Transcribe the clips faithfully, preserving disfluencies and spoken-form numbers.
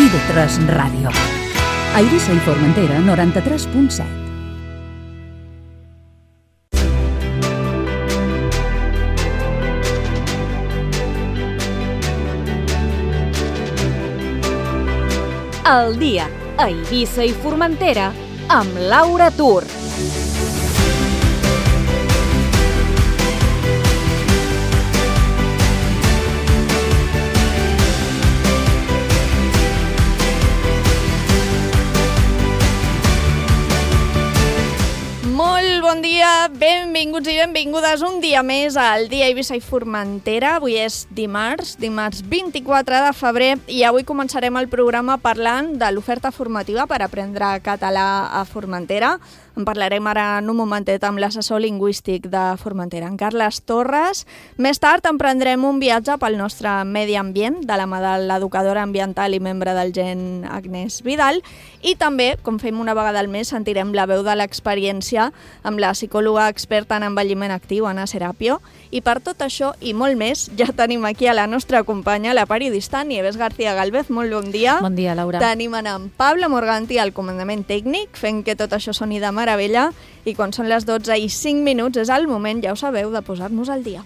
i ve tres Ràdio. A Eivissa i Formentera, noranta-tres punt set. El dia a Eivissa i Formentera amb Laura Tur. Molt bon dia, benvinguts i benvingudes un dia més al dia a Eivissa i Formentera. Avui és dimarts, dimarts vint-i-quatre de febrer, i avui començarem el programa parlant de l'oferta formativa per aprendre català a Formentera. En parlarem ara en un momentet amb l'assessor lingüístic de Formentera, en Carles Torres. Més tard emprendrem un viatge pel nostre medi ambient, de la mà de l'educadora ambiental i membre del Gen Agnès Vidal. I també, com fem una vegada al mes, sentirem la veu de l'experiència amb la psicòloga experta en envelliment actiu, Anna Serapio. I per tot això i molt més, ja tenim aquí a la nostra companya, la periodista Nieves García Galvez. Molt bon dia. Bon dia, Laura. Tenim en Pablo Morganti al comandament tècnic, fent que tot això soni de meravella. I quan són les dotze i cinc minuts és el moment, ja ho sabeu, de posar-nos al dia.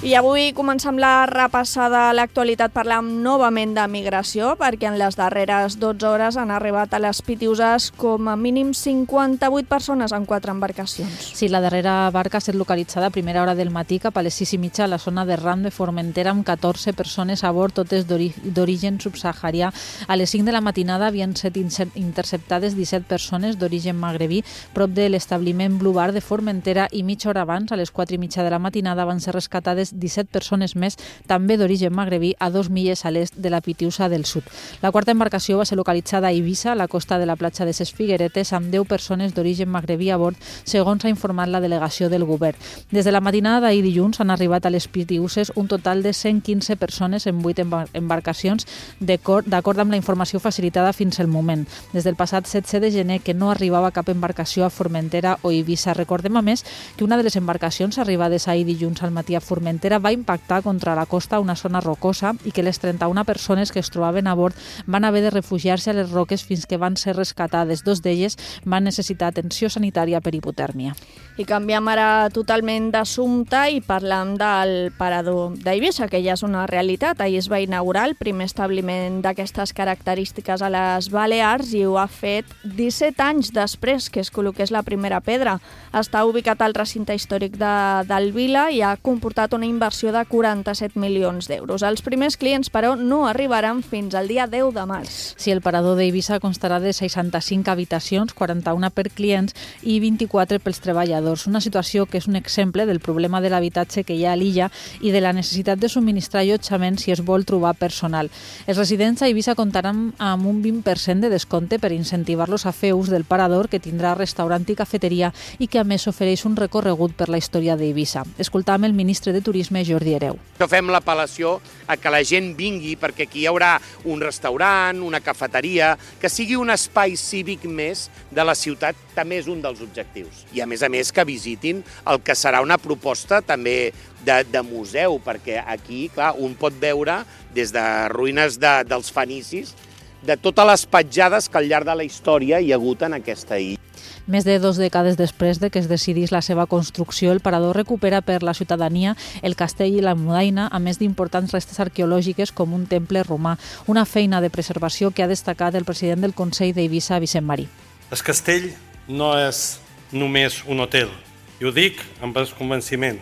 I avui comencem la repassada a l'actualitat parlant novament de migració, perquè en les darreres dotze hores han arribat a les Pitiuses com a mínim cinquanta-vuit persones en quatre embarcacions. Sí, la darrera barca ha estat localitzada a primera hora del matí cap a les sis i mitja a la zona de Ram de Formentera amb catorze persones a bord, totes d'origen subsaharià. A les cinc de la matinada havien estat interceptades disset persones d'origen magrebí prop de l'establiment Blue Bar de Formentera i mitja hora abans, a les quatre i mitja de la matinada, van ser rescatades disset persones més, també d'origen magrebí, a dos milles a l'est de la Pitiusa del Sud. La quarta embarcació va ser localitzada a Eivissa, a la costa de la platja de ses Figueretes, amb deu persones d'origen magrebí a bord, segons ha informat la delegació del govern. Des de la matinada d'ahir dilluns han arribat a les Pitiuses un total de cent quinze persones en vuit embarcacions, d'acord amb la informació facilitada fins al moment. Des del passat setze de gener que no arribava cap embarcació a Formentera o Eivissa. Recordem, a més, que una de les embarcacions arribades ahir dilluns al matí a Formentera va impactar contra la costa, una zona rocosa, i que les trenta-una persones que es trobaven a bord van haver de refugiar-se a les roques fins que van ser rescatades. Dos d'elles van necessitar atenció sanitària per hipotèrmia. I canviem ara totalment d'assumpte i parlam del parador d'Eivissa, que ja és una realitat. Ahir es va inaugurar el primer establiment d'aquestes característiques a les Balears i ho ha fet disset anys després que es col·loqués la primera pedra. Està ubicat al recinte històric de, del Vila i ha comportat una inversió de quaranta-set milions d'euros. Els primers clients, però, no arribaran fins al dia deu de març. Sí, el parador d'Eivissa constarà de seixanta-cinc habitacions, quaranta-una per clients i vint-i-quatre pels treballadors. Una situació que és un exemple del problema de l'habitatge que hi ha a l'illa i de la necessitat de subministrar allotjament si es vol trobar personal. Els residents a Eivissa comptaran amb un vint per cent de descompte per incentivar-los a fer ús del parador, que tindrà restaurant i cafeteria i que a més ofereix un recorregut per la història d'Eivissa. Escoltam el ministre de Turisme, Jordi Hereu. Fem l'apel·lació a que la gent vingui perquè aquí hi haurà un restaurant, una cafeteria, que sigui un espai cívic més de la ciutat, també és un dels objectius. I a més a més que visitin el que serà una proposta també de, de museu, perquè aquí, clar, un pot veure des de ruïnes de, dels fenicis, de totes les petjades que al llarg de la història hi ha hagut en aquesta illa. Més de dues dècades després de que es decidís la seva construcció, el parador recupera per la ciutadania el castell i la mudaina, a més d'importants restes arqueològiques com un temple romà, una feina de preservació que ha destacat el president del Consell d'Eivissa, Vicent Marí. El castell no és només un hotel, i ho dic amb el convenciment.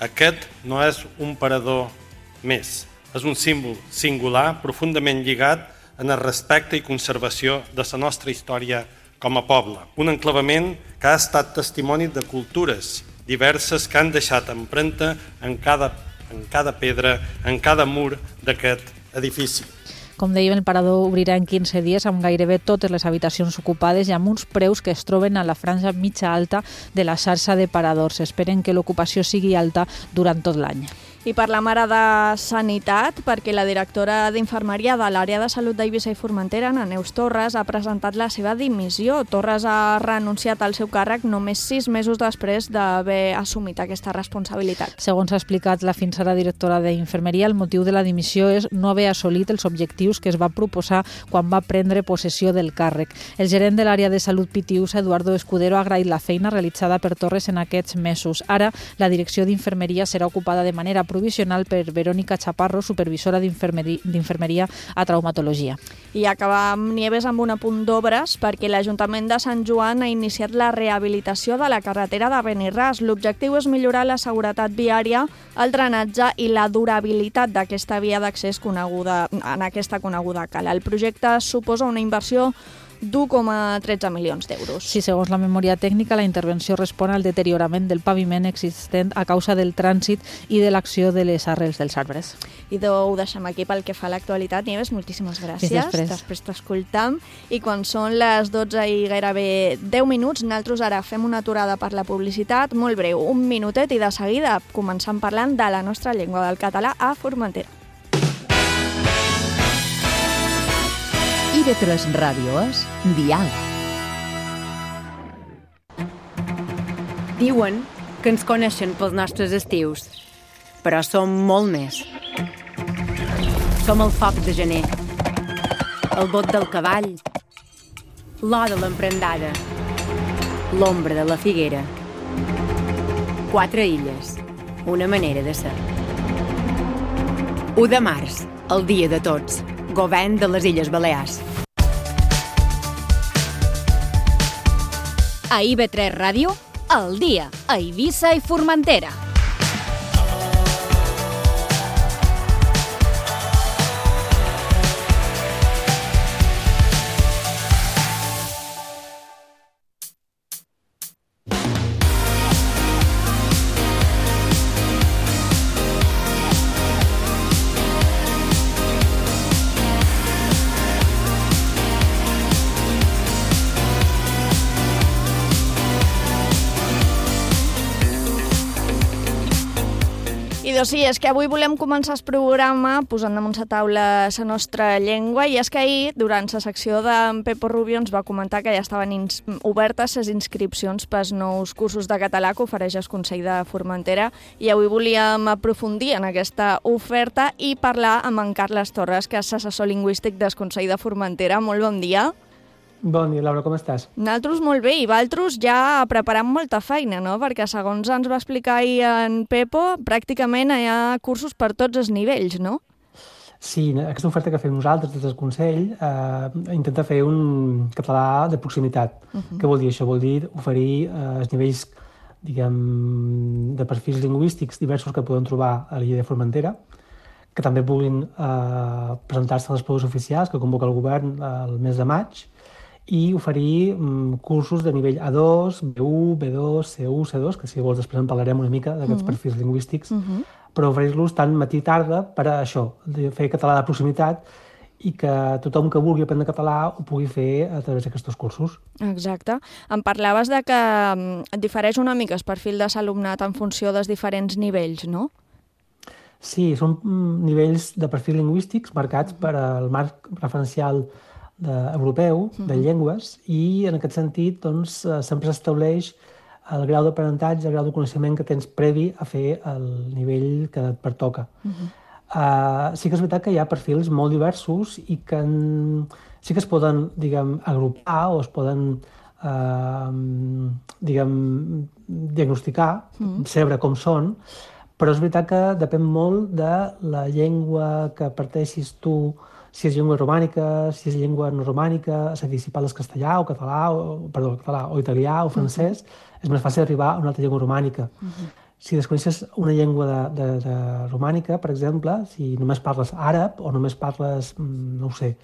Aquest no és un parador més, és un símbol singular, profundament lligat en el respecte i conservació de la nostra història com a poble. Un enclavament que ha estat testimoni de cultures diverses que han deixat empremta en cada, en cada pedra, en cada mur d'aquest edifici. Com dèiem, el parador obrirà en quinze dies amb gairebé totes les habitacions ocupades i amb uns preus que es troben a la franja mitja alta de la xarxa de paradors. Esperen que l'ocupació sigui alta durant tot l'any. I parlem ara de sanitat, perquè la directora d'infermeria de l'àrea de salut d'Eivissa i Formentera, Ana Neus Torres, ha presentat la seva dimissió. Torres ha renunciat al seu càrrec només sis mesos després d'haver assumit aquesta responsabilitat. Segons ha explicat la fins ara directora d'infermeria, el motiu de la dimissió és no haver assolit els objectius que es va proposar quan va prendre possessió del càrrec. El gerent de l'àrea de salut Pitiusa, Eduardo Escudero, ha agraït la feina realitzada per Torres en aquests mesos. Ara, la direcció d'infermeria serà ocupada de manera provisional per Verónica Chaparro, supervisora d'infermeria a traumatologia. I acabam, Nieves, amb un apunt d'obres, perquè l'Ajuntament de Sant Joan ha iniciat la rehabilitació de la carretera de Benirràs. L'objectiu és millorar la seguretat viària, el drenatge i la durabilitat d'aquesta via d'accés coneguda en aquesta coneguda cala. El projecte suposa una inversió d'un coma tretze milions d'euros. Sí, segons la memòria tècnica, la intervenció respon al deteriorament del paviment existent a causa del trànsit i de l'acció de les arrels dels arbres. I ho deixem aquí pel que fa a l'actualitat. Nieves, moltíssimes gràcies. Fins després. Després t'escoltam. I quan són les dotze i gairebé deu minuts, nosaltres ara fem una aturada per la publicitat, molt breu, un minutet, i de seguida començam parlant de la nostra llengua, del català a Formentera. I V tres Ràdio és Dial. Diuen que ens coneixen pels nostres estius, però som molt més. Som el foc de gener, el bot del cavall, l'or de l'emprendada, l'ombra de la figuera. Quatre illes, una manera de ser. u de març, el dia de tots, govern de les Illes Balears. A I V tres Ràdio, al dia, a Eivissa i Formentera. I doncs sí, és que avui volem començar el programa posant damunt la taula la nostra llengua, i és que ahir, durant la secció d'en Pepo Rubio, ens va comentar que ja estaven ins obertes les inscripcions pels nous cursos de català que ofereix el Consell de Formentera, i avui volíem aprofundir en aquesta oferta i parlar amb en Carles Torres, que és assessor lingüístic del Consell de Formentera. Molt bon dia. Bon dia, Laura, com estàs? Nosaltres molt bé, i vosaltres ja preparant molta feina, no? Perquè segons ens va explicar ahir en Pepo, pràcticament hi ha cursos per tots els nivells, no? Sí, aquesta oferta que fem nosaltres des del Consell eh, intenta fer un català de proximitat. Uh-huh. Què vol dir això? Vol dir oferir eh, els nivells, diguem, de perfils lingüístics diversos que podem trobar a l'illa de Formentera, que també puguin eh, presentar-se a les proves oficials que convoca el govern el mes de maig, i oferir um, cursos de nivell A dos, B u, B dos, C u, C dos, que si vols després en parlarem una mica d'aquests uh-huh. perfils lingüístics, uh-huh. però oferir-los tant matí i tarda per a això, de fer català de proximitat, i que tothom que vulgui aprendre català ho pugui fer a través d'aquests cursos. Exacte. Em parlaves de que et difereix una mica el perfil de l'alumnat en funció dels diferents nivells, no? Sí, són nivells de perfils lingüístics marcats per al marc referencial de, europeu, de llengües, i en aquest sentit doncs, sempre s'estableix el grau d'aprenentatge, el grau de coneixement que tens previ a fer el nivell que et pertoca. Uh-huh. uh, sí que és veritat que hi ha perfils molt diversos i que en, sí que es poden, diguem, agrupar o es poden uh, diguem, diagnosticar, uh-huh. saber com són, però és veritat que depèn molt de la llengua que parteixis tu, si és llengua romànica, si és llengua no romànica, és a dir, si parles castellà o català, o, perdó, català o italià o francès, uh-huh. és més fàcil arribar a una altra llengua romànica. Uh-huh. Si desconeixes una llengua de, de, de romànica, per exemple, si només parles àrab o només parles, no ho sé,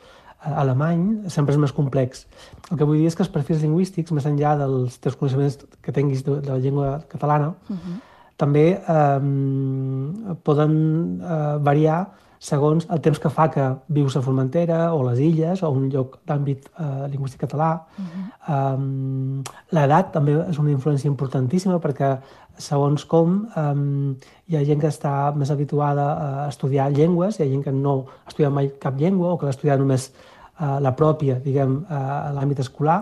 alemany, sempre és més complex. El que vull dir és que els perfils lingüístics, més enllà dels teus coneixements que tinguis de, de la llengua catalana, uh-huh. també eh, poden eh, variar segons el temps que fa que vius a Formentera o a les Illes o un lloc d'àmbit eh, lingüístic català. Uh-huh. um, L'edat també és una influència importantíssima perquè segons com um, hi ha gent que està més habituada a estudiar llengües, hi ha gent que no ha estudiat mai cap llengua o que l'ha estudiat només uh, la pròpia, diguem, uh, a l'àmbit escolar.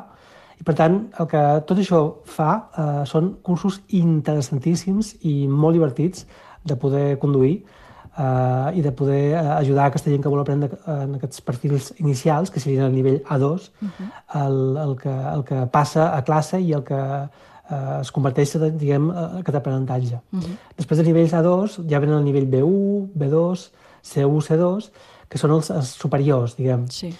I per tant, el que tot això fa uh, són cursos interessantíssims i molt divertits de poder conduir uh, i de poder uh, ajudar a aquesta gent que vol aprendre en aquests perfils inicials, que serien el nivell A dos, uh-huh. el, el, que, el que passa a classe i el que uh, es converteix, diguem, en aquest aprenentatge. Uh-huh. Després de nivells A dos ja venen el nivell B u, B dos, C u, C dos, que són els, els superiors, diguem. Sí.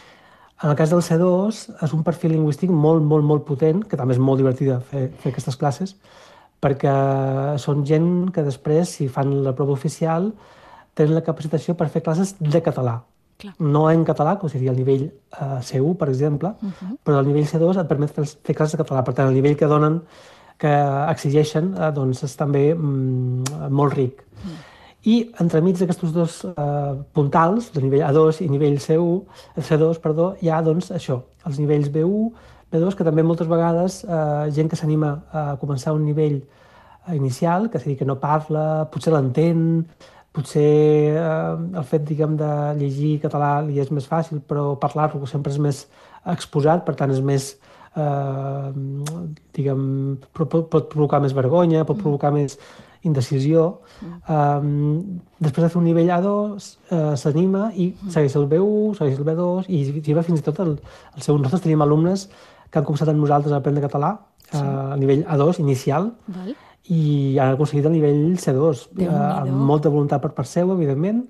En el cas del C dos és un perfil lingüístic molt, molt, molt potent, que també és molt divertida fer, fer aquestes classes, perquè són gent que després, si fan la prova oficial, tenen la capacitació per fer classes de català. Clar. No en català, com seria el nivell uh, C u, per exemple, uh-huh. però el nivell C dos et permet fer, fer classes de català. Per tant, el nivell que donen, que exigeixen, uh, doncs és també mm, molt ric. Uh-huh. I entremig d'aquests dos uh, puntals, de nivell A dos i nivell C u, C dos, perdó, hi ha doncs, això, els nivells B u, B dos, que també moltes vegades uh, gent que s'anima a començar un nivell uh, inicial, que és a dir, que no parla, potser l'entén, potser uh, el fet, diguem, de llegir català li és més fàcil, però parlar-lo sempre és més exposat, per tant és més, uh, diguem, pot, pot provocar més vergonya, pot provocar més indecisió. Um, després de fer un nivell A dos, uh, s'anima i segueix el B u, segueix el B dos i arriba fins i tot el, el seu... Nosaltres tenim alumnes que han començat amb nosaltres a aprendre català uh, a nivell A dos inicial. Val. I han aconseguit el nivell C dos, uh, amb molta voluntat per part seu, evidentment,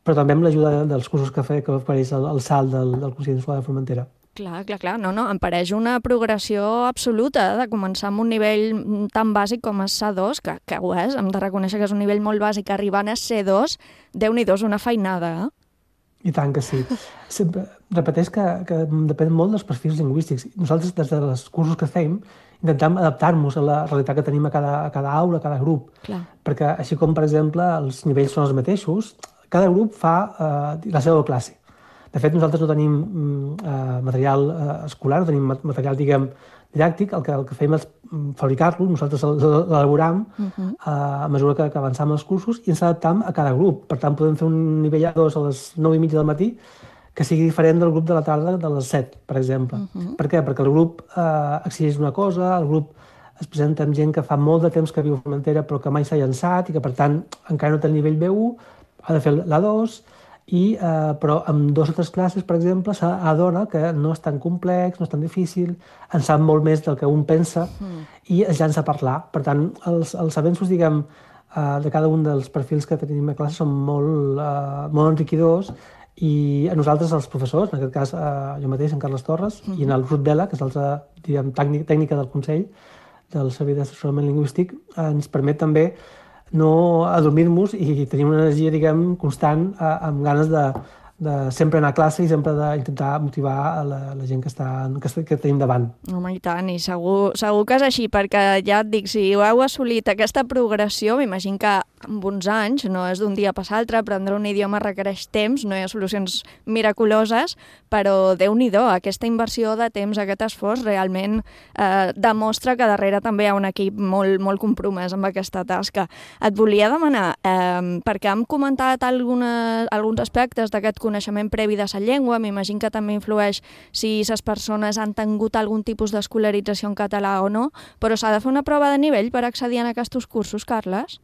però també amb l'ajuda dels cursos que fa, que ofereix el, el SAL del, del Consell d'Escola de Formentera. Clar, clar, clar. No, no, em pareix una progressió absoluta de començar amb un nivell tan bàsic com és C dos, que, que ho és, hem de reconèixer que és un nivell molt bàsic, arribant a C dos, Déu-n'hi-do, és una feinada, eh? I tant que sí. Sempre, repeteix que, que depèn molt dels perfils lingüístics. Nosaltres, des dels cursos que fem, intentem adaptar-nos a la realitat que tenim a cada, a cada aula, a cada grup. Clar. Perquè així com, per exemple, els nivells són els mateixos, cada grup fa uh, la seva classe. De fet, nosaltres no tenim uh, material uh, escolar, no tenim material, diguem, didàctic. El que, el que fem és fabricar-lo, nosaltres l'elaboram uh-huh. uh, a mesura que, que avançam els cursos i ens adaptam a cada grup. Per tant, podem fer un nivell A dos a les nou i mitja del matí que sigui diferent del grup de la tarda de les set, per exemple. Uh-huh. Per què? Perquè el grup uh, exigeix una cosa, el grup es presenta amb gent que fa molt de temps que viu a Formentera però que mai s'ha llançat i que, per tant, encara no té el nivell B u, ha de fer l'A dos, i, eh, però amb dues o tres classes, per exemple, s'adona que no és tan complex, no és tan difícil, en sap molt més del que un pensa mm. i es llança a parlar. Per tant, els, els avenços, diguem, eh, de cada un dels perfils que tenim a classe són molt, eh, molt enriquidors i a nosaltres, els professors, en aquest cas eh, jo mateix, en Carles Torres, mm. i en el Ruth Vela, que és l'altra, diguem, tècnica del Consell del Servei d'Assessorament Lingüístic, eh, ens permet també no adormir-nos i tenim una energia, diguem, constant, eh, amb ganes de, de sempre anar a classe i sempre d'intentar motivar a la, la gent que, està, que, que tenim davant. Home, i tant, i segur, segur que és així, perquè ja et dic, si heu assolit aquesta progressió, m'imagino que amb uns anys, no és d'un dia per l'altre, aprendre un idioma requereix temps, no hi ha solucions miraculoses, però Déu-n'hi-do, aquesta inversió de temps, aquest esforç, realment eh, demostra que darrere també hi ha un equip molt, molt compromès amb aquesta tasca. Et volia demanar, eh, perquè hem comentat alguna, alguns aspectes d'aquest coneixement previ de la llengua, m'imagino que també influeix si les persones han tingut algun tipus d'escolarització en català o no, però s'ha de fer una prova de nivell per accedir a aquests cursos, Carles?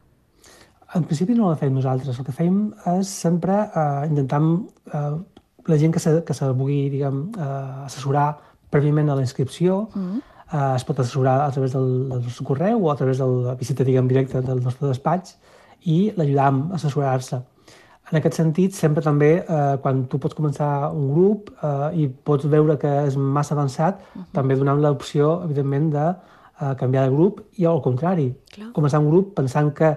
En principi no la fem nosaltres. El que fem és sempre eh, intentar eh, la gent que se, que se vulgui, diguem, eh, assessorar prèviament a la inscripció, mm. eh, es pot assessorar a través del, del nostre correu o a través de la visita, diguem, directa del nostre despatx i l'ajudam a assessorar-se. En aquest sentit, sempre també, eh, quan tu pots començar un grup eh, i pots veure que és massa avançat, uh-huh. també donam l'opció, evidentment, de eh, canviar de grup i al contrari. Clar. Començar un grup pensant que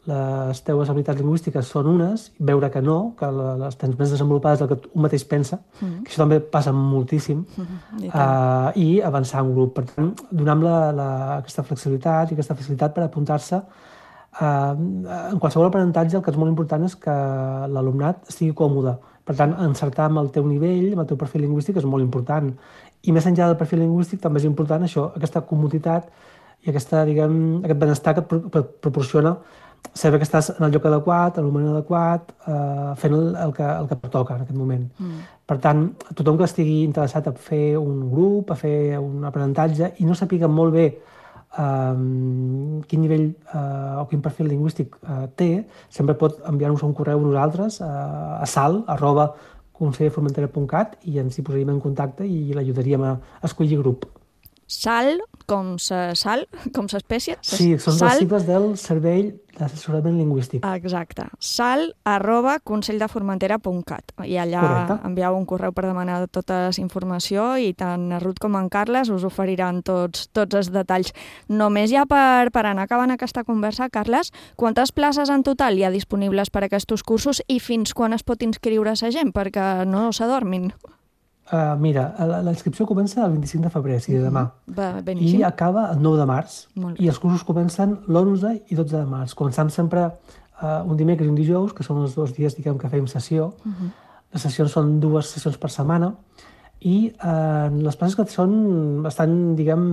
les teves habilitats lingüístiques són unes, veure que no, que les tens més desenvolupades del que un mateix pensa, mm. que això també passa moltíssim, mm. I, uh, i avançar un grup. Per tant, donem la, la, aquesta flexibilitat i aquesta facilitat per apuntar-se en qualsevol aprenentatge el que és molt important és que l'alumnat estigui còmode. Per tant, encertar amb el teu nivell, amb el teu perfil lingüístic és molt important. I més enllà del perfil lingüístic també és important això, aquesta comoditat i aquesta, diguem, aquest benestar que et proporciona saber que estàs en el lloc adequat, en el moment adequat, eh, fent el, el, que, el que pertoca en aquest moment. Mm. Per tant, tothom que estigui interessat a fer un grup, a fer un aprenentatge i no sàpiga molt bé eh, quin nivell eh, o quin perfil lingüístic eh, té, sempre pot enviar-nos un correu a nosaltres eh, a sal arroba consell de formentera punt cat i ens hi posaríem en contacte i l'ajudaríem a escollir grup. Sal, com sa sal, com s'espècie? Sí, són sal... les sigles del Servei d'Assessorament Lingüístic. Exacte. Sal arroba consell de formentera punt cat. I allà Correcte. Envieu un correu per demanar tota la informació i tant en Ruth com en Carles us oferiran tots, tots els detalls. Només ja per, per anar acabant aquesta conversa, Carles, quantes places en total hi ha disponibles per a aquests cursos i fins quan es pot inscriure la gent perquè no s'adormin? Uh, mira, la, la inscripció comença el vint-i-cinc de febrer, o sigui, demà. Va, I acaba el nou de març. I els cursos comencen l'onze i dotze de març. Començam sempre uh, un dimecres i un dijous, que són els dos dies, diguem, que fem sessió. Uh -huh. Les sessions són dues sessions per setmana i uh, les places que són estan, diguem,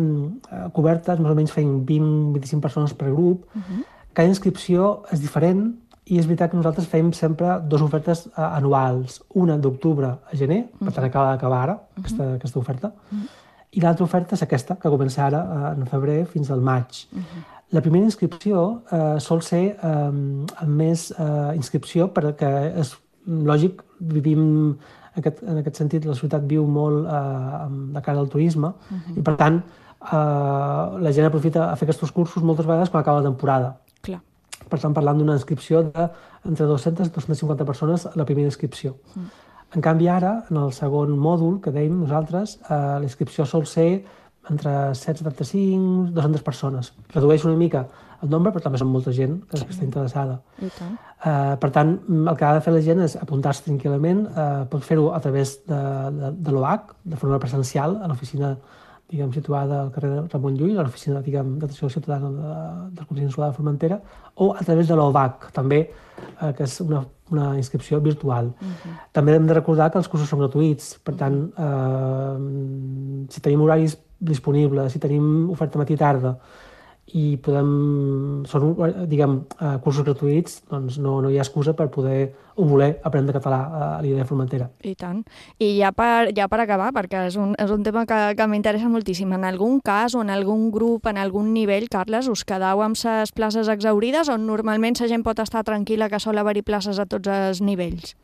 uh, cobertes, més o menys fem vint a vint-i-cinc persones per grup. Uh -huh. Cada inscripció és diferent. I és veritat que nosaltres fem sempre dues ofertes uh, anuals, una d'octubre a gener, uh -huh. per tant acaba d'acabar ara, uh -huh. aquesta, aquesta oferta, uh -huh. i l'altra oferta és aquesta, que comença ara uh, en febrer fins al maig. Uh -huh. La primera inscripció uh, sol ser um, amb més uh, inscripció perquè és lògic, vivim en aquest, en aquest sentit, la ciutat viu molt uh, de cara al turisme, uh -huh. i per tant uh, la gent aprofita a fer aquests cursos moltes vegades quan acaba la temporada. Clar. Per tant, parlant d'una inscripció d'entre dues-centes i dues-centes cinquanta persones a la primera inscripció. Mm. En canvi, ara, en el segon mòdul que dèiem nosaltres, eh, la inscripció sol ser entre cent setanta-cinc i dues-centes persones. Redueix una mica el nombre, però també són molta gent que, sí. que està interessada. I tant. Eh, per tant, el que ha de fer la gent és apuntar-se tranquil·lament. Eh, pot fer-ho a través de, de, de l'O H, de forma presencial, a l'oficina diguem, situada al carrer Ramon Llull, a l'oficina d'atenció ciutadana de, del Consell Insular de Formentera, o a través de l'O V A C, també, eh, que és una, una inscripció virtual. Uh-huh. També hem de recordar que els cursos són gratuïts, per tant, eh, si tenim horaris disponibles, si tenim oferta matí i tarda, i podem, són, diguem, eh, cursos gratuïts, doncs no, no hi ha excusa per poder o voler aprendre català a l'I D E Formentera. I tant. I ja per, ja per acabar, perquè és un, és un tema que, que m'interessa moltíssim, en algun cas o en algun grup, en algun nivell, Carles, us quedau amb les places exaurides o normalment la gent pot estar tranquil·la que sol haver-hi places a tots els nivells?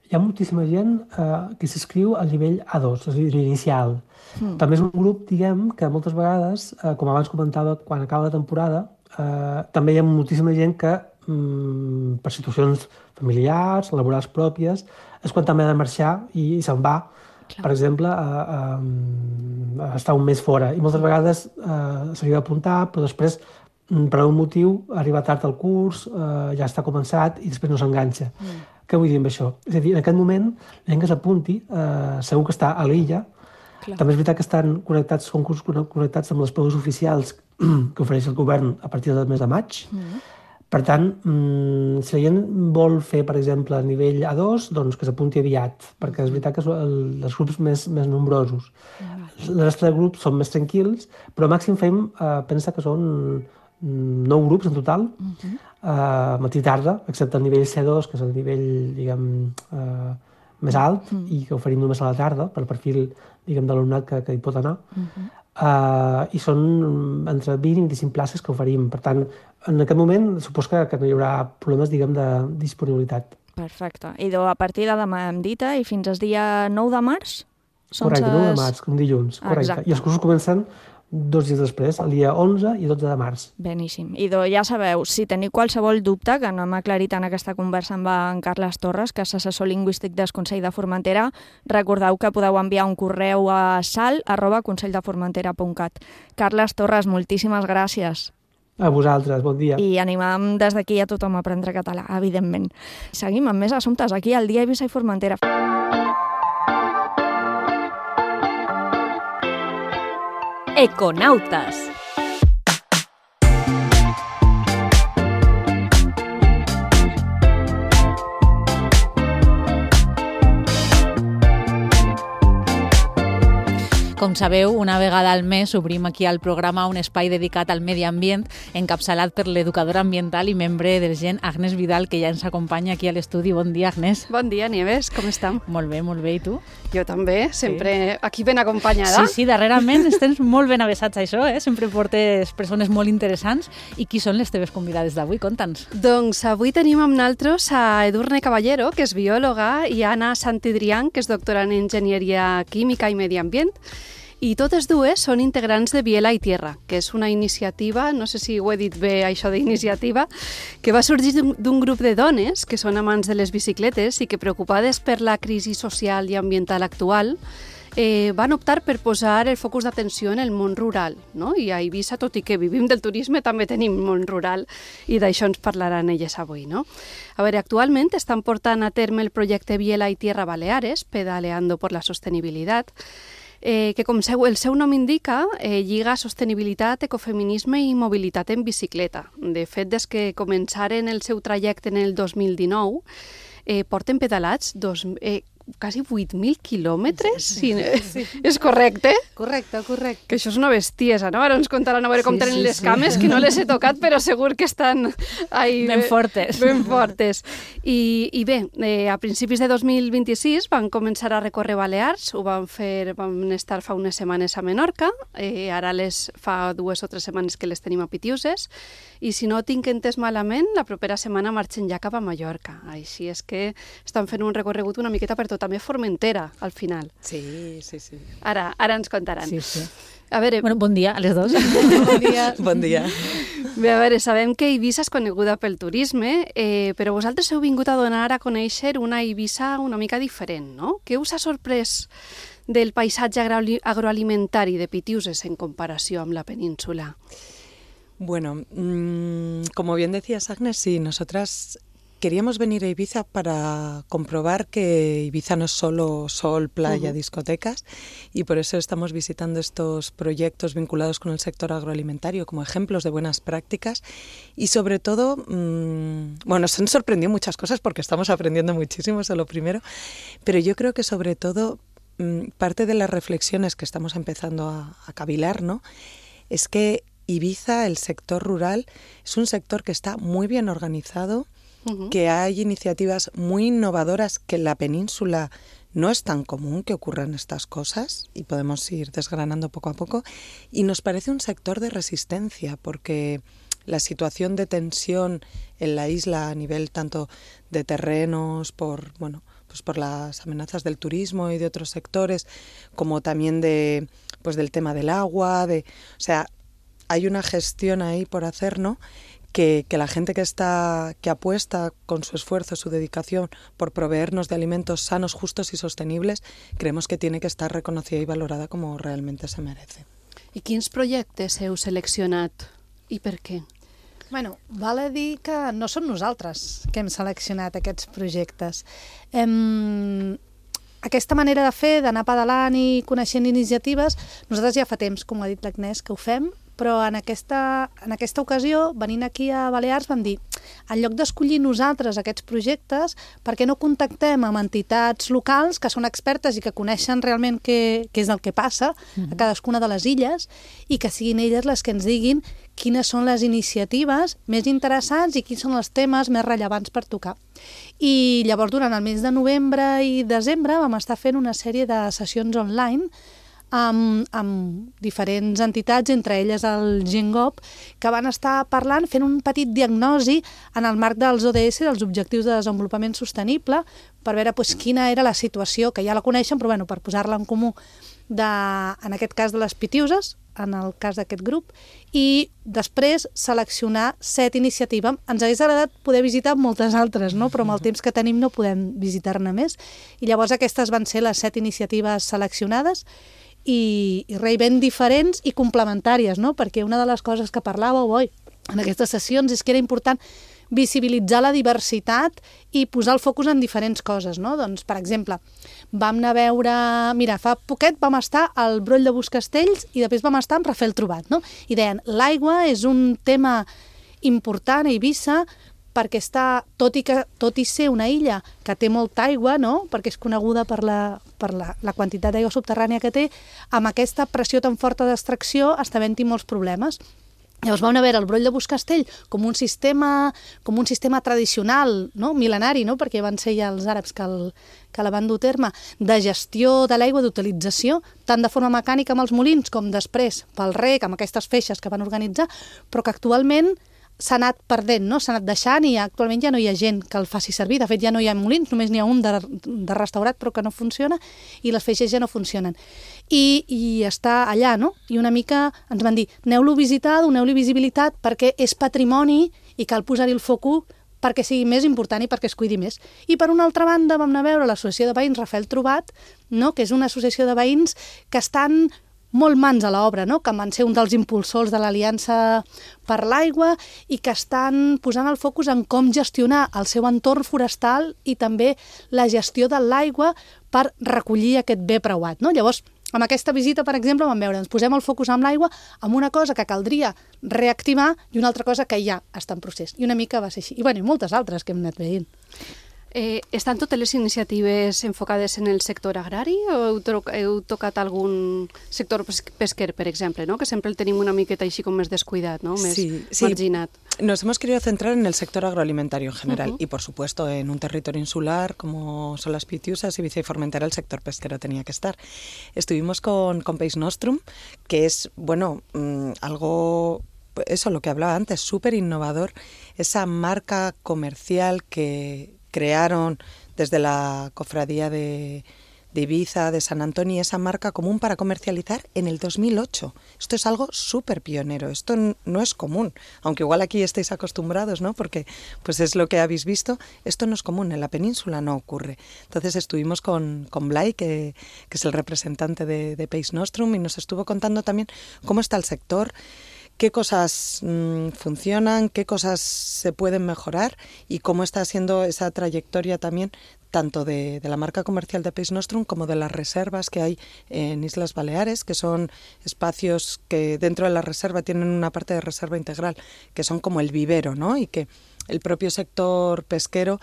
Hi ha moltíssima gent eh, que s'inscriu al nivell A dos, és a dir, l'inicial. Mm. També és un grup, diguem, que moltes vegades, eh, com abans comentava, quan acaba la temporada, eh, també hi ha moltíssima gent que, mm, per situacions familiars, laborals pròpies, és quan també ha de marxar i, i se'n va, clar. Per exemple, a, a, a estar un mes fora. I moltes vegades eh, s'hauria d'apuntar, però després, per un motiu, arriba tard al curs, eh, ja està començat i després no s'enganxa. Mm. Què vull dir amb això? És a dir, en aquest moment, la gent que s'apunti, eh, segur que està a l'illa. Clar. També és veritat que estan connectats, són cursos connectats amb les proves oficials que ofereix el govern a partir del mes de maig. Mm. Per tant, mmm, si la gent vol fer, per exemple, a nivell A dos, doncs que s'apunti aviat, perquè és veritat que són el, els grups més, més nombrosos. Mm. La resta de grups són més tranquils, però màxim fem, eh, pensa que són nou grups en total, uh-huh. uh, matí i tarda, excepte el nivell C dos, que és el nivell, diguem, uh, més alt, uh-huh. i que oferim només a la tarda, per perfil, diguem, de l'alumnat que, que hi pot anar. Uh-huh. uh, I són entre vint i vint-i-cinc places que oferim. Per tant, en aquest moment, supos que, que no hi haurà problemes, diguem, de disponibilitat. Perfecte. I a partir de demà hem dit, i fins al dia nou de març? Correcte, ses... nou de març, un dilluns, correcte. Exacte. I els cursos comencen dos dies després, el dia onze i dotze de març. Beníssim. I ja sabeu, si teniu qualsevol dubte, que no hem aclarit en aquesta conversa amb en Carles Torres, que és assessor lingüístic del Consell de Formentera, recordeu que podeu enviar un correu a sal arroba consell de formentera punt cat. Carles Torres, moltíssimes gràcies. A vosaltres, bon dia. I animam des d'aquí a tothom a aprendre català, evidentment. Seguim amb més assumptes aquí al Dia Eivissa i Formentera. Econautes. Com sabeu, una vegada al mes obrim aquí al programa un espai dedicat al medi ambient, encapçalat per l'educadora ambiental i membre del Gen, Agnès Vidal, que ja ens acompanya aquí a l'estudi. Bon dia, Agnès. Bon dia, Nieves, com estem? Molt bé, molt bé, i tu? Jo també, sempre sí. Aquí ben acompanyada. Sí, sí, darrerament estem molt ben avesats a això, eh? Sempre portes persones molt interessants. I qui són les teves convidades d'avui? Conta'ns. Doncs avui tenim amb nosaltres a Edurne Caballero, que és biòloga, i a Anna Santidrián, que és doctora en Enginyeria Química i Medi Ambient. I totes dues són integrants de Biela y Tierra, que és una iniciativa, no sé si ho he dit bé això d'iniciativa, que va sorgir d'un grup de dones que són amants de les bicicletes i que, preocupades per la crisi social i ambiental actual, eh, van optar per posar el focus d'atenció en el món rural, no? I a Eivissa, tot i que vivim del turisme, també tenim món rural i d'això ens parlaran elles avui, no? A veure, actualment estan portant a terme el projecte Biela y Tierra Baleares, pedaleando por la sostenibilitat, Eh, que com seu, el seu nom indica, eh, lliga sostenibilitat, ecofeminisme i mobilitat en bicicleta. De fet, des que començaren el seu trajecte en el dos mil dinou, eh, porten pedalats dos, eh, quasi vuit mil quilòmetres. Sí, sí, sí. És correcte? Correcte, correcte. Que això és una bestiesa, no? Ara ens contaran a veure com sí, tenen sí, les cames, sí. Que no les he tocat, però segur que estan ahí, ben fortes. Ben fortes. I, i bé, eh, a principis de dos mil vint-i-sis van començar a recórrer Balears, ho van fer, van estar fa unes setmanes a Menorca, eh, ara les fa dues o tres setmanes que les tenim a Pitiuses, i si no tinc entès malament, la propera setmana marxen ja cap a Mallorca. Així és que estan fent un recorregut una miqueta per tot, també Formentera, al final. Sí, sí, sí. Ara, ara ens contaran. Sí, sí. A veure... Bueno, bon dia a les dues. Bon dia. Bon dia. Bé, a veure, sabem que Eivissa és coneguda pel turisme, eh, però vosaltres heu vingut a donar a conèixer una Eivissa una mica diferent, no? Què us ha sorprès del paisatge agroalimentari de Pitiuses en comparació amb la península? Bueno, mmm, como bien decías, Agnes, sí, nosotras queríamos venir a Ibiza para comprobar que Ibiza no es solo sol, playa, uh-huh. discotecas, y por eso estamos visitando estos proyectos vinculados con el sector agroalimentario como ejemplos de buenas prácticas y sobre todo, mmm, bueno, nos han sorprendido muchas cosas porque estamos aprendiendo muchísimo, eso es lo primero, pero yo creo que sobre todo mmm, parte de las reflexiones que estamos empezando a, a cavilar, ¿no?, es que Ibiza, el sector rural, es un sector que está muy bien organizado, uh-huh. que hay iniciativas muy innovadoras que en la península no es tan común que ocurran estas cosas y podemos ir desgranando poco a poco, y nos parece un sector de resistencia porque la situación de tensión en la isla a nivel tanto de terrenos, por, bueno, pues por las amenazas del turismo y de otros sectores, como también de, pues del tema del agua, de, o sea, hay una gestión ahí por hacer, ¿no?, que, que la gente que está que apuesta con su esfuerzo, su dedicación por proveernos de alimentos sanos, justos y sostenibles, creemos que tiene que estar reconocida y valorada como realmente se merece. I quins projectes heu seleccionat i per què? Bueno, val a dir que no som nosaltres que hem seleccionat aquests projectes. Hem... Aquesta manera de fer, d'anar pedalant i coneixent iniciatives, nosaltres ja fa temps, com ha dit l'Agnès, que ho fem, però en aquesta, en aquesta ocasió, venint aquí a Balears, vam dir, en lloc d'escollir nosaltres aquests projectes, per què no contactem amb entitats locals que són expertes i que coneixen realment què, què és el que passa a cadascuna de les illes i que siguin elles les que ens diguin quines són les iniciatives més interessants i quins són els temes més rellevants per tocar. I llavors, durant el mes de novembre i desembre, vam estar fent una sèrie de sessions online amb, amb diferents entitats, entre elles el GenGov, que van estar parlant, fent un petit diagnosi en el marc dels O D S, dels Objectius de Desenvolupament Sostenible, per veure pues, quina era la situació, que ja la coneixen, però bueno, per posar-la en comú, de, en aquest cas de les Pitiuses, en el cas d'aquest grup, i després seleccionar set iniciatives. Ens hagués agradat poder visitar moltes altres, no? Però amb el temps que tenim no podem visitar-ne més. I llavors aquestes van ser les set iniciatives seleccionades i, i res, ben diferents i complementàries, no? Perquè una de les coses que parlàveu oi, en aquestes sessions és que era important visibilitzar la diversitat i posar el focus en diferents coses, no? Doncs, per exemple, vam anar a veure... Mira, fa poquet vam estar al Broll de Buscastells i després vam estar amb Rafael Trobat, no? I deien, l'aigua és un tema important a Eivissa perquè està, tot i, que, tot i ser una illa que té molta aigua, no? Perquè és coneguda per la, per la, la quantitat d'aigua subterrània que té, amb aquesta pressió tan forta d'extracció està havent-hi molts problemes. Llavors vam veure el broll de Buscastell com un sistema, com un sistema tradicional, no? Mil·lenari, no? Perquè van ser ja els àrabs que, el, que la van dur a terme, de gestió de l'aigua, d'utilització, tant de forma mecànica amb els molins com després pel rec, amb aquestes feixes que van organitzar, però que actualment s'ha anat perdent, no? S'ha anat deixant i actualment ja no hi ha gent que el faci servir. De fet, ja no hi ha molins, només n'hi ha un de, de restaurat però que no funciona i les feixes ja no funcionen. I, i està allà, no? I una mica ens van dir, aneu-lo a visitar, doneu-li visibilitat perquè és patrimoni i cal posar-hi el focus perquè sigui més important i perquè es cuidi més. I per una altra banda vam anar a veure l'associació de veïns Rafael Trobat, no? Que és una associació de veïns que estan molt mans a l'obra, no? Que van ser un dels impulsors de l'Aliança per l'Aigua i que estan posant el focus en com gestionar el seu entorn forestal i també la gestió de l'aigua per recollir aquest bé preuat, no? Llavors, amb aquesta visita, per exemple, vam veure, ens posem el focus amb l'aigua amb una cosa que caldria reactivar i una altra cosa que ja està en procés. I una mica va ser així. I, bueno, i moltes altres que hem anat veient. Eh, estan totes les iniciatives enfocades en el sector agrari o heu, to heu tocat algun sector pesquer, per exemple, ¿no? Que sempre el tenim una miqueta així com més descuidat, ¿no? Més sí, sí. marginat. Nos hemos querido centrar en el sector agroalimentario en general Uh-huh. y, por supuesto, en un territorio insular como son las Pitiusas, Ibiza y Formentera, el sector pesquero tenía que estar. Estuvimos con, con Peix Nostrum, que es, bueno, mmm, algo... Eso, lo que hablaba antes, súper innovador, esa marca comercial que crearon desde la cofradía de, de Ibiza, de San Antonio, esa marca común para comercializar en el dos mil ocho. Esto es algo súper pionero, esto no es común, aunque igual aquí estéis acostumbrados, ¿no? Porque pues es lo que habéis visto, esto no es común, en la península no ocurre. Entonces estuvimos con, con Blay, que, que es el representante de, de Peix Nostrum, y nos estuvo contando también cómo está el sector, qué cosas mmm, funcionan, qué cosas se pueden mejorar y cómo está siendo esa trayectoria también tanto de, de la marca comercial de Peix Nostrum como de las reservas que hay en Islas Baleares, que son espacios que dentro de la reserva tienen una parte de reserva integral, que son como el vivero, ¿no? Y que el propio sector pesquero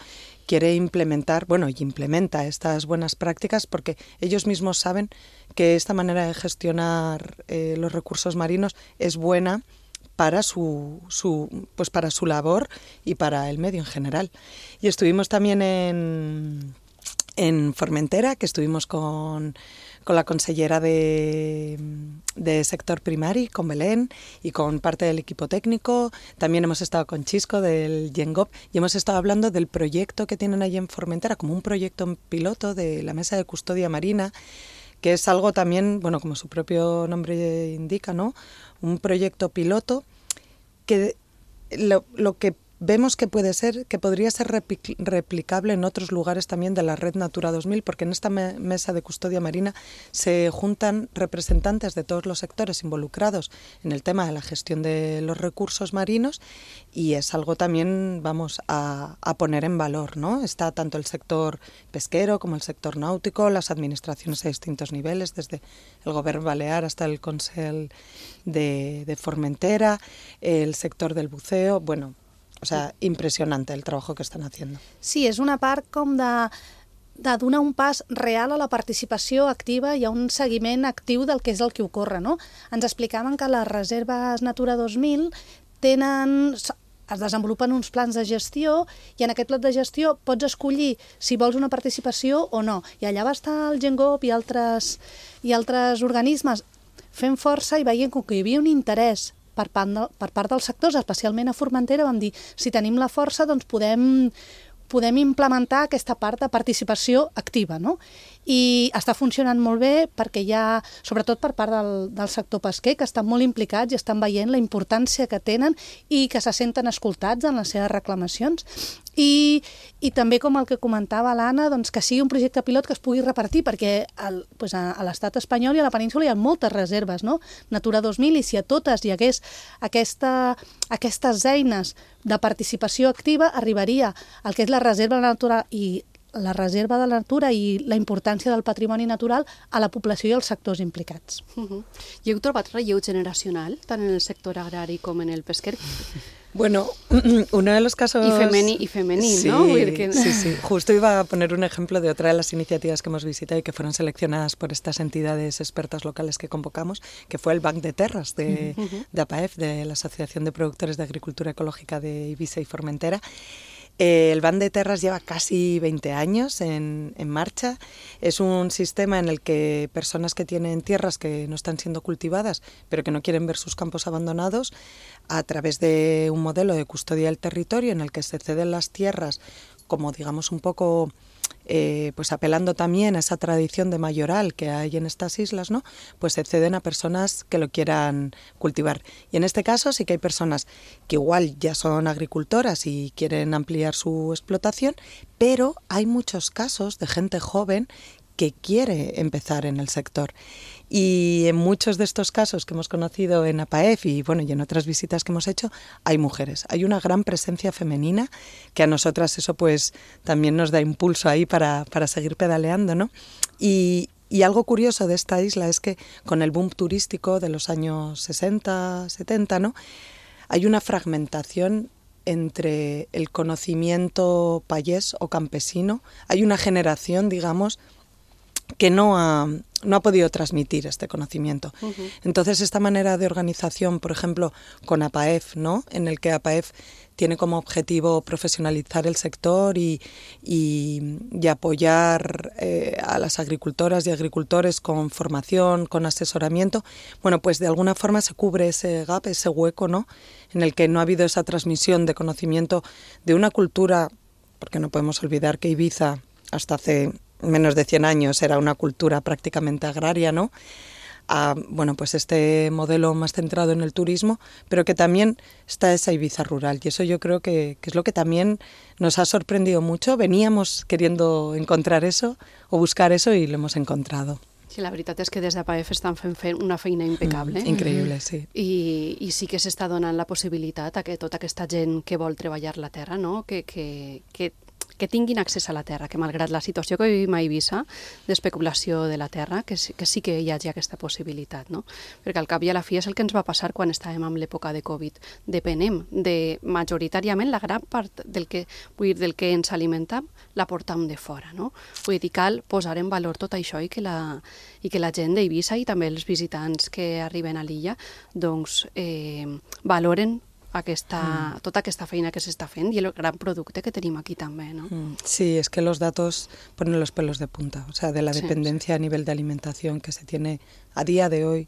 quiere implementar, bueno, y implementa estas buenas prácticas porque ellos mismos saben que esta manera de gestionar eh, los recursos marinos es buena para su, su, pues para su labor y para el medio en general. Y estuvimos también en, en Formentera, que estuvimos con... con la consellera de, de sector primari, con Belén, y con parte del equipo técnico. También hemos estado con Chisco del Yengop y hemos estado hablando del proyecto que tienen allí en Formentera, como un proyecto piloto de la Mesa de Custodia Marina, que es algo también, bueno, como su propio nombre indica, ¿no? Un proyecto piloto que lo, lo que vemos que puede ser, que podría ser replicable en otros lugares también de la red Natura dos mil, porque en esta me mesa de custodia marina se juntan representantes de todos los sectores involucrados en el tema de la gestión de los recursos marinos y es algo también, vamos, a, a poner en valor, ¿no? Está tanto el sector pesquero como el sector náutico, las administraciones a distintos niveles, desde el Gobierno Balear hasta el Consell de, de Formentera, el sector del buceo, bueno... O sea, impressionante el trabajo que estan haciendo. Sí, és una part com de, de donar un pas real a la participació activa i a un seguiment actiu del que és el que ocorre, no? Ens explicaven que les reserves Natura dos mil tenen... es desenvolupen uns plans de gestió i en aquest pla de gestió pots escollir si vols una participació o no. I allà va estar el Gengop i altres, i altres organismes fent força i veient que hi havia un interès per part, de, per part dels sectors, especialment a Formentera, vam dir, si tenim la força, doncs podem, podem implementar aquesta part de participació activa, no? I està funcionant molt bé perquè hi ha, sobretot per part del, del sector pesquer, que estan molt implicats i estan veient la importància que tenen i que se senten escoltats en les seves reclamacions. I, i també, com el que comentava l'Anna, doncs que sigui un projecte pilot que es pugui repartir, perquè el, doncs a, a l'estat espanyol i a la península hi ha moltes reserves, no? Natura dos mil, i si a totes hi hagués aquesta, aquestes eines de participació activa, arribaria al que és la reserva natural i la reserva de la natura i la importància del patrimoni natural a la població i als sectors implicats. Uh-huh. I heu trobat relleu generacional, tant en el sector agrari com en el pesquer? Bueno, uno de los casos... Y, femeni, y femenino, sí, ¿no? Que... Sí, sí. Justo iba a poner un ejemplo de otra de las iniciativas que hemos visitado y que fueron seleccionadas por estas entidades expertas locales que convocamos, que fue el Banc de Terras de, uh-huh. de A P A E F, de la Asociación de Productores de Agricultura Ecológica de Eivissa y Formentera. Eh, el Banc de Terras lleva casi veinte años en, en marcha. Es un sistema en el que personas que tienen tierras que no están siendo cultivadas, pero que no quieren ver sus campos abandonados, a través de un modelo de custodia del territorio en el que se ceden las tierras, como digamos un poco... Eh, pues apelando también a esa tradición de mayoral que hay en estas islas, ¿no? Pues se ceden a personas que lo quieran cultivar. Y en este caso sí que hay personas que igual ya son agricultoras y quieren ampliar su explotación, pero hay muchos casos de gente joven que quiere empezar en el sector. Y en muchos de estos casos que hemos conocido en A P A E F y, bueno, y en otras visitas que hemos hecho, hay mujeres. Hay una gran presencia femenina que a nosotras eso pues también nos da impulso ahí para, para seguir pedaleando, ¿no? Y, y algo curioso de esta isla es que con el boom turístico de los años sesenta, setenta, ¿no? Hay una fragmentación entre el conocimiento payés o campesino. Hay una generación, digamos, que no ha, no ha podido transmitir este conocimiento. Uh-huh. Entonces, esta manera de organización, por ejemplo, con A P A E F, ¿no? En el que A P A E F tiene como objetivo profesionalizar el sector y, y, y apoyar eh, a las agricultoras y agricultores con formación, con asesoramiento, bueno, pues de alguna forma se cubre ese gap, ese hueco, ¿no? En el que no ha habido esa transmisión de conocimiento de una cultura, porque no podemos olvidar que Eivissa hasta hace menos de cien años era una cultura prácticamente agraria, ¿no? A, bueno, pues este modelo más centrado en el turismo, pero que también está esa Eivissa rural, y eso yo creo que, que es lo que también nos ha sorprendido mucho. Veníamos queriendo encontrar eso o buscar eso y lo hemos encontrado. Sí, la veritat és que des d'A P A E F estan fent una feina impecable. Mm, increïble, sí. I, I sí que s'està donant la possibilitat a que tota aquesta gent que vol treballar la terra, no? que, que, que que tinguin accés a la terra, que malgrat la situació que vivim a Eivissa d'especulació de la terra, que, que sí que hi hagi aquesta possibilitat, no? Perquè al cap i a la fi és el que ens va passar quan estàvem en l'època de Covid. Depenem de, majoritàriament, la gran part del que, vull dir, del que ens alimentem la portam de fora, no? Vull dir, cal posar en valor tot això i que la, i que la gent d'Eivissa i també els visitants que arriben a l'illa doncs eh, valoren Aquesta, mm. tota aquesta feina que s'està fent y el gran producte que tenim aquí també, ¿no? Mm. Sí, es que los datos ponen los pelos de punta, o sea, de la dependencia sí, sí. a nivel de alimentación que se tiene a día de hoy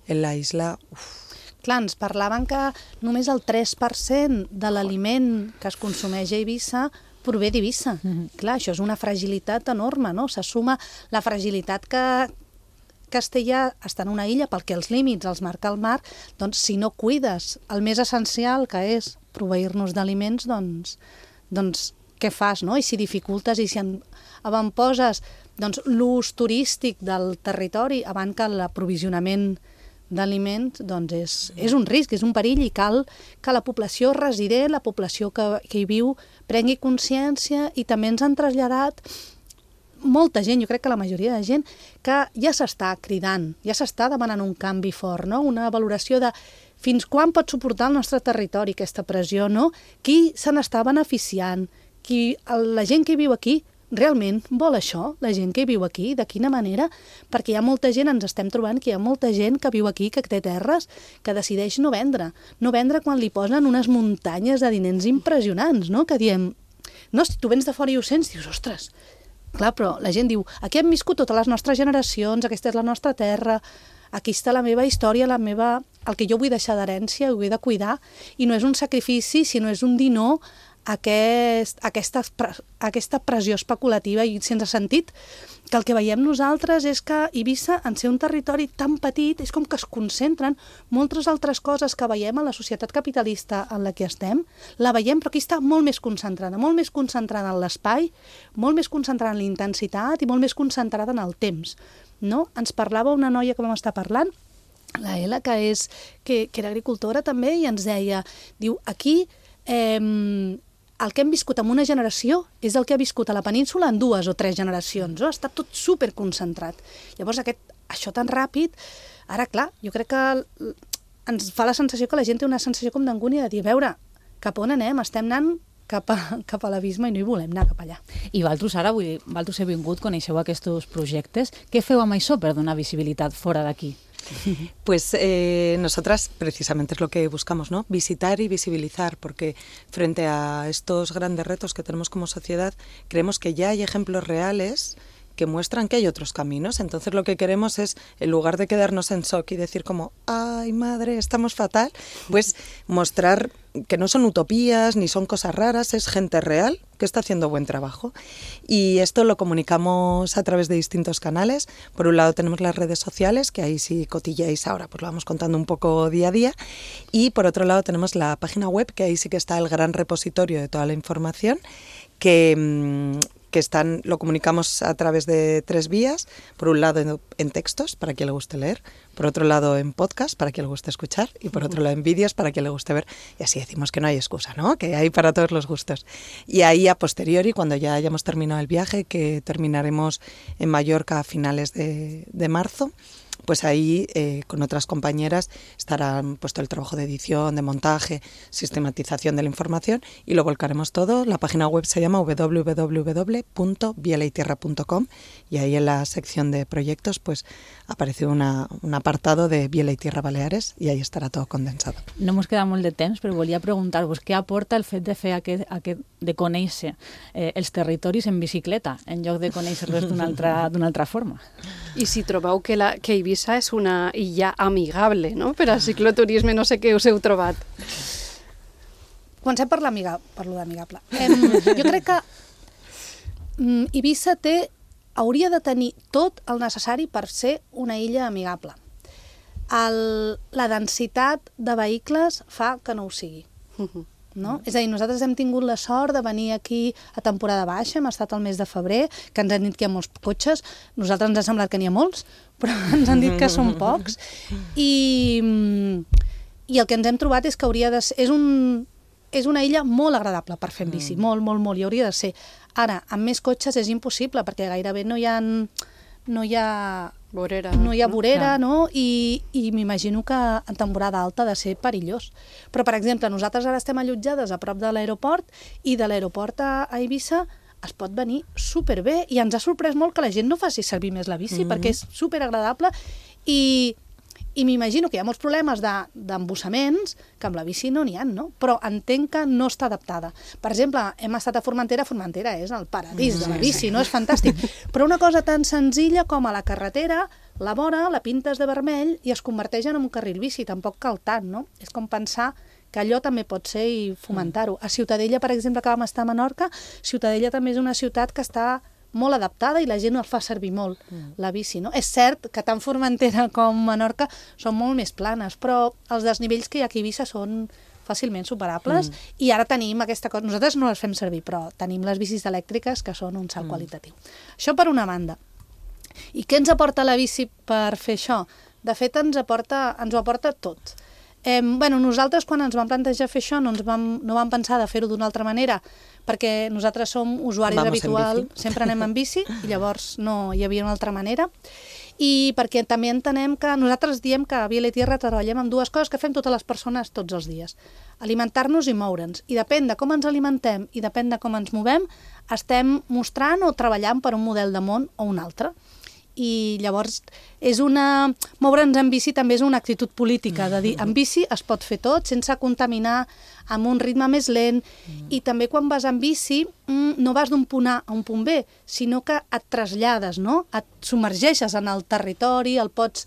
en la isla. Uf. Clar, ens parlaven que només el tres per cent de l'aliment que es consumeix a Eivissa prové d'Eivissa. Mm-hmm. Clar, això és una fragilitat enorme, no? Se suma la fragilitat que Castella està en una illa perquè els límits els marca el mar, doncs si no cuides el més essencial, que és proveir-nos d'aliments, doncs, doncs què fas, no? I si dificultes i si avantposes doncs, l'ús turístic del territori abans que l'aprovisionament d'aliments, doncs és, és un risc, és un perill i cal que la població resident, la població que, que hi viu, prengui consciència i també ens han traslladat molta gent, jo crec que la majoria de gent, que ja s'està cridant, ja s'està demanant un canvi fort, no? Una valoració de fins quan pot suportar el nostre territori aquesta pressió, no? Qui se n'està beneficiant? Qui, la gent que viu aquí realment vol això? La gent que viu aquí, de quina manera? Perquè hi ha molta gent, ens estem trobant que hi ha molta gent que viu aquí, que té terres, que decideix no vendre. No vendre quan li posen unes muntanyes de diners impressionants, no? Que diem, no, si tu vens de fora i ho sents, dius, ostres, clar, però la gent diu, aquí hem viscut totes les nostres generacions, aquesta és la nostra terra, aquí està la meva història, la meva, el que jo vull deixar d'herència, ho he de cuidar, i no és un sacrifici, sinó és un dir no a aquest, aquesta, aquesta pressió especulativa, i sense sentit que el que veiem nosaltres és que Eivissa, en ser un territori tan petit, és com que es concentren moltes altres coses que veiem a la societat capitalista en la que estem, la veiem, però aquí està molt més concentrada, molt més concentrada en l'espai, molt més concentrada en la intensitat i molt més concentrada en el temps. No? Ens parlava una noia que vam estar parlant, la Ela, que, és, que, que era agricultora també, i ens deia, diu, aquí eh, el que hem viscut en una generació és el que ha viscut a la península en dues o tres generacions, no? Està tot superconcentrat. Llavors, aquest, això tan ràpid, ara, clar, jo crec que ens fa la sensació que la gent té una sensació com d'angúnia de dir, a veure, cap on anem? Estem anant cap a, cap a l'abisme i no hi volem anar cap allà. I vosaltres ara, vull dir, vosaltres heu vingut, coneixeu aquests projectes. Què feu amb això per donar visibilitat fora d'aquí? Pues eh, nosotras precisamente es lo que buscamos, ¿no? Visitar y visibilizar, porque frente a estos grandes retos que tenemos como sociedad, creemos que ya hay ejemplos reales que muestran que hay otros caminos. Entonces lo que queremos es, en lugar de quedarnos en shock y decir como, ay madre, estamos fatal, pues mostrar que no son utopías ni son cosas raras, es gente real que está haciendo buen trabajo. Y esto lo comunicamos a través de distintos canales. Por un lado tenemos las redes sociales, que ahí sí cotilleáis ahora, pues lo vamos contando un poco día a día. Y por otro lado tenemos la página web, que ahí sí que está el gran repositorio de toda la información, que... que están, lo comunicamos a través de tres vías, por un lado en, en textos, para quien le guste leer, por otro lado en podcast, para quien le guste escuchar, y por otro lado en vídeos, para quien le guste ver, y así decimos que no hay excusa, ¿no? Que hay para todos los gustos. Y ahí a posteriori, cuando ya hayamos terminado el viaje, que terminaremos en Mallorca a finales de, de marzo, pues ahí eh, con otras compañeras estarán puesto el trabajo de edición, de montaje, sistematización de la información y lo volcaremos todo. La página web se llama doble u doble u doble u punto biela y tierra punto com y ahí en la sección de proyectos pues aparece una, un apartado de Biela y Tierra Baleares i ahí estarà tot condensat. No mos queda molt de temps, però volia preguntar-vos què aporta el fet de fer aquest, aquest de conèixer eh, els territoris en bicicleta en lloc de conèixer-los d'una altra, d'una altra forma. I si trobeu que, la, que Eivissa és una illa amigable, no?, per a cicloturisme, no sé què us heu trobat. Comencem per l'amigable, per lo d'amigable. Eh, jo crec que mm, Eivissa té hauria de tenir tot el necessari per ser una illa amigable. El, la densitat de vehicles fa que no ho sigui. No? És a dir, nosaltres hem tingut la sort de venir aquí a temporada baixa, hem estat al mes de febrer, que ens han dit que hi ha molts cotxes, nosaltres ens ha semblat que n'hi ha molts, però ens han dit que són pocs, i, i el que ens hem trobat és que hauria de ser... És, un, és una illa molt agradable per fer en bici, mm. molt, molt, molt, i hauria de ser. Ara, amb més cotxes és impossible, perquè gairebé no hi ha... No hi ha vorera, no hi ha vorera, no? I, i m'imagino que en temporada alta ha de ser perillós. Però, per exemple, nosaltres ara estem allotjades a prop de l'aeroport i de l'aeroport a, a Eivissa es pot venir superbé i ens ha sorprès molt que la gent no faci servir més la bici, mm-hmm. perquè és superagradable i... I m'imagino que hi ha molts problemes d'embussaments, de, que amb la bici no n'hi ha, no? Però entenc que no està adaptada. Per exemple, hem estat a Formentera, Formentera és el paradís de la bici, no? És fantàstic. Però una cosa tan senzilla com a la carretera, la vora, la pintes de vermell i es converteix en un carril bici, tampoc cal tant, no? És com pensar que allò també pot ser i fomentar-ho. A Ciutadella, per exemple, que vam estar a Menorca, Ciutadella també és una ciutat que està molt adaptada i la gent el fa servir molt, mm. la bici, no? És cert que tant Formentera com Menorca són molt més planes, però els desnivells que hi ha aquí a Eivissa són fàcilment superables mm. i ara tenim aquesta cosa, nosaltres no les fem servir, però tenim les bicis elèctriques que són un salt mm. qualitatiu. Això per una banda. I què ens aporta la bici per fer això? De fet, ens, aporta, ens ho aporta tot. Eh, bueno, nosaltres quan ens vam plantejar fer això no, ens vam, no vam pensar de fer-ho d'una altra manera perquè nosaltres som usuaris Vamos habitual, sempre anem en bici i llavors no hi havia una altra manera i perquè també entenem que nosaltres diem que a Biela i Tierra treballem amb dues coses que fem totes les persones tots els dies, alimentar-nos i moure'ns, i depèn de com ens alimentem i depèn de com ens movem, estem mostrant o treballant per un model de món o un altre. I llavors és una... moure'ns en bici també és una actitud política, de dir, en bici es pot fer tot sense contaminar, amb un ritme més lent, mm. i també quan vas en bici no vas d'un punt A a un punt B, sinó que et trasllades, no? Et submergeixes en el territori, el pots,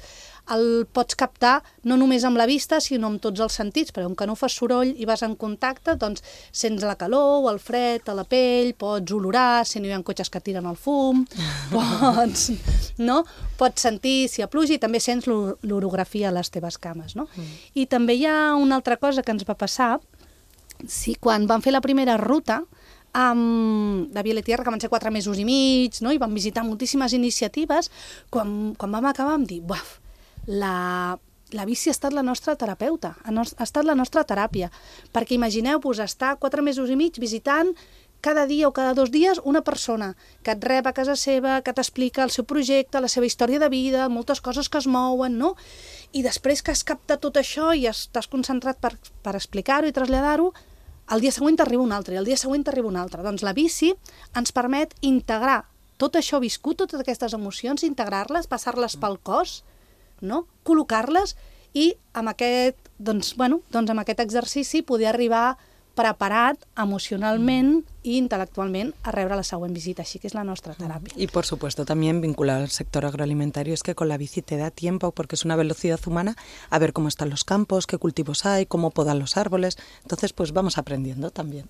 el pots captar no només amb la vista, sinó amb tots els sentits, perquè com que no fas soroll i vas en contacte, doncs sents la calor o el fred a la pell, pots olorar si no hi ha cotxes que tiren el fum, pots, no? Pots sentir si hi ha pluja i també sents l'orografia a les teves cames, no? Mm. I també hi ha una altra cosa que ens va passar, sí, quan vam fer la primera ruta, Um, de Biela i Tierra, que van ser quatre mesos i mig, no? I vam visitar moltíssimes iniciatives, quan, quan vam acabar vam dir, buaf, la, la bici ha estat la nostra terapeuta, ha, no, ha estat la nostra teràpia, perquè imagineu-vos estar quatre mesos i mig visitant cada dia o cada dos dies una persona que et rep a casa seva, que t'explica el seu projecte, la seva història de vida, moltes coses que es mouen, no? I després que has captat tot això i estàs concentrat per, per explicar-ho i traslladar-ho, el dia següent t'arriba un altre i el dia següent t'arriba un altre. Doncs la bici ens permet integrar tot això viscut, totes aquestes emocions, integrar-les, passar-les pel cos, no? Col·locar-les i amb aquest, doncs, bueno, doncs amb aquest exercici poder arribar preparat emocionalment i intel·lectualment a rebre la següent visita. Així que es la nuestra terapia. Y por supuesto también vincular al sector agroalimentario, es que con la bici te da tiempo, porque es una velocidad humana, a ver cómo están los campos, qué cultivos hay, cómo podan los árboles. Entonces pues vamos aprendiendo también.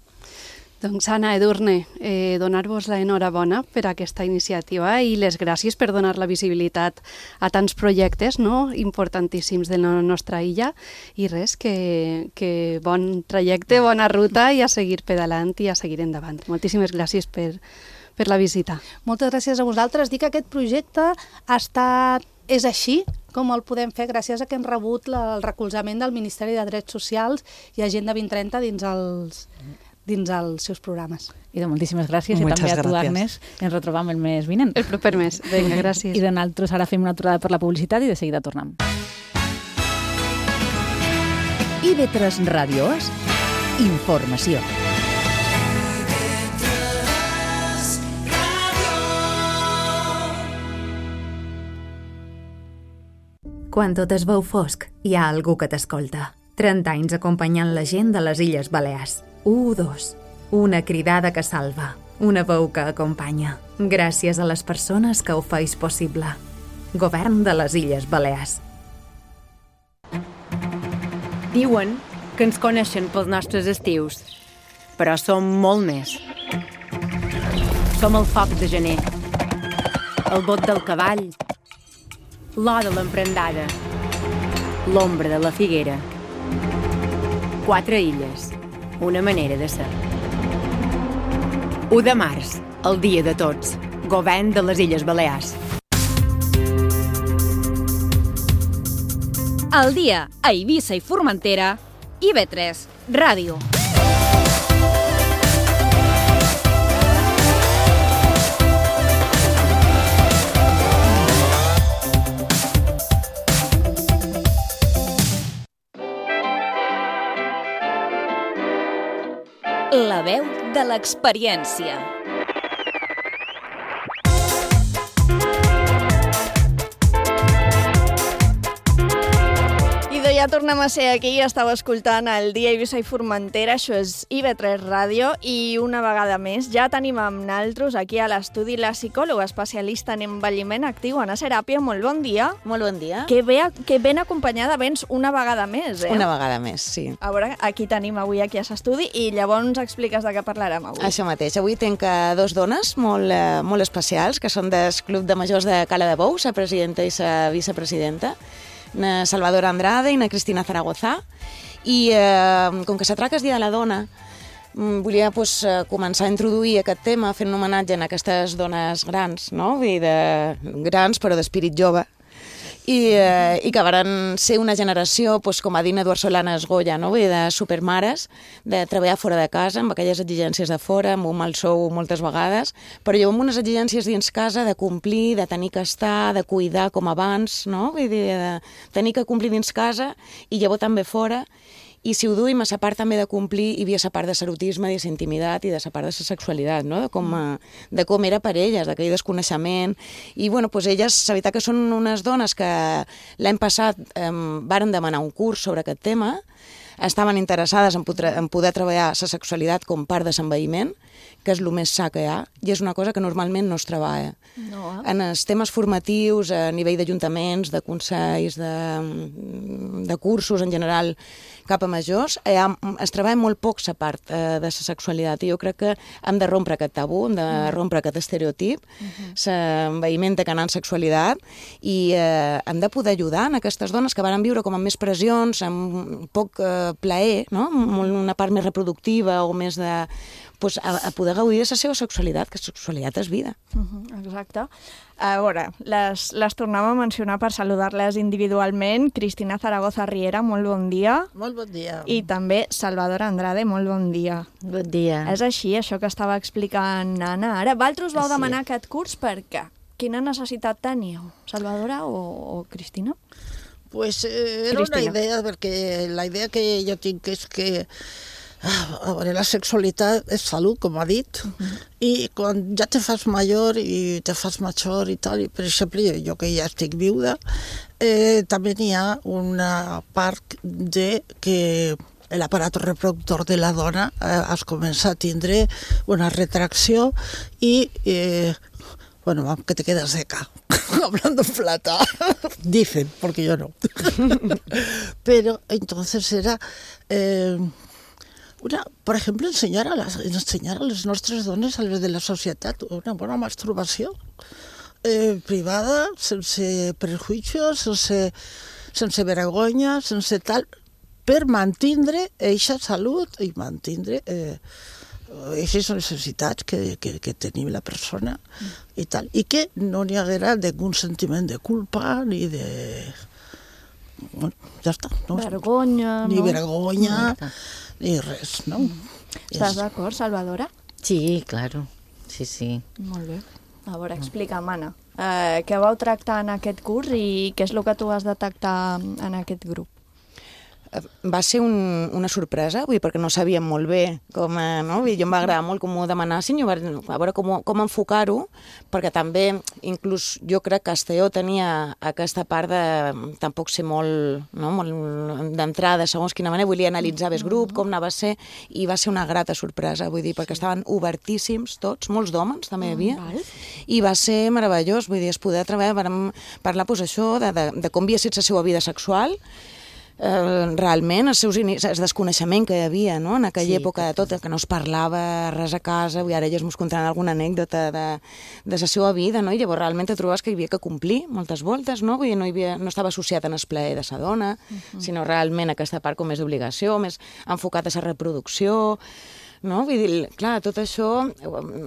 Doncs Anna, Edurne, eh, donar-vos la enhorabona per aquesta iniciativa i les gràcies per donar la visibilitat a tants projectes, no?, importantíssims de la nostra illa, i res, que, que bon trajecte, bona ruta i a seguir pedalant i a seguir endavant. Moltíssimes gràcies per, per la visita. Moltes gràcies a vosaltres. Dic que aquest projecte ha estat, és així com el podem fer gràcies a que hem rebut la, el recolzament del Ministeri de Drets Socials i Agenda vint trenta dins els dins els seus programes. I de moltíssimes gràcies Muchas i també a tu, gràcies. Agnès. Ens retrobam el mes vinent. El proper mes. Vinga, gràcies. I de nosaltres ara fem una aturada per la publicitat i de seguida tornem. I V tres Ràdio És informació. Quan tot es veu fosc, hi ha algú que t'escolta. trenta anys acompanyant la gent de les Illes Balears. U dos. Una cridada que salva. Una veu que acompanya. Gràcies a les persones que ho feis possible. Govern de les Illes Balears. Diuen que ens coneixen pels nostres estius, però som molt més. Som el foc de gener, el bot del cavall, l'or de l'emprendada, l'ombra de la figuera. Quatre illes, una manera de ser. u de març, el dia de tots, govern de les Illes Balears. El dia a Eivissa i Formentera, I V tres Ràdio. La veu de l'experiència. I ja tornem a ser aquí, estàu escoltant el Dia Eivissa i Formentera, això és I V tres Ràdio, i una vegada més ja tenim amb naltros aquí a l'estudi la psicòloga especialista en envelliment actiu, Anna Serapia. Molt bon dia. Molt bon dia. Que, bé, que ben acompanyada vens una vegada més, eh? Una vegada més, sí. A veure, aquí tenim avui aquí a l'estudi i llavors ens expliques de què parlarem avui. Això mateix. Avui tinc dos dones molt, eh, molt especials, que són del Club de Majors de Cala de Bou, la presidenta i la vicepresidenta, na Salvadora Andrade i na Cristina Zaragoza. I eh, com que se tracta el Dia de la Dona, volia pues, començar a introduir aquest tema fent un homenatge a aquestes dones grans, no? Vull dir, de grans però d'espírit jove, i, eh, i que van ser una generació, pues, com ha dit Eduard Solana Esgolla, no? Vull dir, de supermares, de treballar fora de casa, amb aquelles exigències de fora, amb un mal sou moltes vegades, però jo amb unes exigències dins casa de complir, de tenir que estar, de cuidar com abans, no? Vull dir, de tenir que complir dins casa i llavors també fora. I si ho duim a la part també de complir, hi havia la part de l'erotisme, de la intimitat i de la part de la sexualitat, no? de, com, de com era per elles, d'aquell desconeixement. I bueno, pues elles, la veritat que són unes dones que l'any passat eh, varen demanar un curs sobre aquest tema, estaven interessades en poder, en poder treballar la sexualitat com part de l'envelliment, que és el més sa que hi ha, i és una cosa que normalment no es treballa. No, eh? En els temes formatius, a nivell d'ajuntaments, de consells, de, de cursos en general, cap a majors, eh, es treballa molt poc la part eh, de la sexualitat, i jo crec que hem de rompre aquest tabú, hem de rompre aquest estereotip, l'envaïment de canant sexualitat, i eh, hem de poder ajudar en aquestes dones que van viure com amb més pressions, amb poc eh, plaer, no? Una part més reproductiva o més de... Pues, a, a poder gaudir de la seva sexualitat, que la sexualitat és vida. Uh-huh, exacte. A veure, les, les tornem a mencionar per saludar-les individualment. Cristina Zaragoza Riera, molt bon dia. Molt bon dia. I també Salvador Andrade, molt bon dia. Bon dia. És així, això que estava explicant Anna. Ara, vosaltres vau Sí. demanar aquest curs per què? Quina necessitat teníeu? Salvadora o, o Cristina? Pues eh, era Cristina. una idea, perquè la idea que jo tinc és que a veure, la sexualitat és salut, com ha dit, uh-huh. i quan ja te fas major i te fas major i tal, i per exemple, jo que ja estic viuda, eh, també n'hi ha una part de que l'aparato reproductor de la dona eh, es comença a tindre una retracció i eh, bueno, que te quedas seca, hablando en plata, dicen, porque yo no. Pero entonces era... Eh, Una, per exemple, ensenyar a, les, ensenyar a les nostres dones, a les de la societat, una bona masturbació eh, privada, sense prejuïcios, sense, sense vergonya, sense tal, per mantindre eixa salut i mantindre eh, eixes necessitats que, que, que tenim la persona mm. i tal. I que no n'hi haguera d'un sentiment de culpa ni de... Bueno, ja està. No? Vergonya, ni no? vergonya... No. Ni res, no? Estàs d'acord, Salvadora? Sí, claro, sí, sí. Molt bé. A veure, explica'm, Anna. Eh, què vau tractar en aquest curs i què és el que tu vas detectar en aquest grup? Va ser un, una sorpresa, vull dir, perquè no sabíem molt bé com, eh, no? Vull dir, jo em va agradar molt com ho demanassin, jo va, a veure com, com enfocar-ho, perquè també, inclús jo crec que Esteo tenia aquesta part de tampoc ser molt, no? molt d'entrada, segons quina manera, volia analitzar bé el grup, com anava a ser, i va ser una grata sorpresa, vull dir, perquè estaven obertíssims tots, molts d'homes també hi havia, i va ser meravellós, vull dir, es poder treballar, vam parlar, doncs, això, de, de, de com havia estat la seva vida sexual, Eh, realment, els seus inicis, el desconeixement que hi havia, no? En aquella sí, època de tot, que no es parlava res a casa, i ara elles ens contaran alguna anècdota de, de la seva vida, no? I llavors realment te trobaves que hi havia que complir moltes voltes, no? Vull dir, no, hi havia, no estava associat en el plaer de sa dona, uh-huh. sinó realment aquesta part com més d'obligació, més enfocat a la reproducció, no? Vull dir, clar, tot això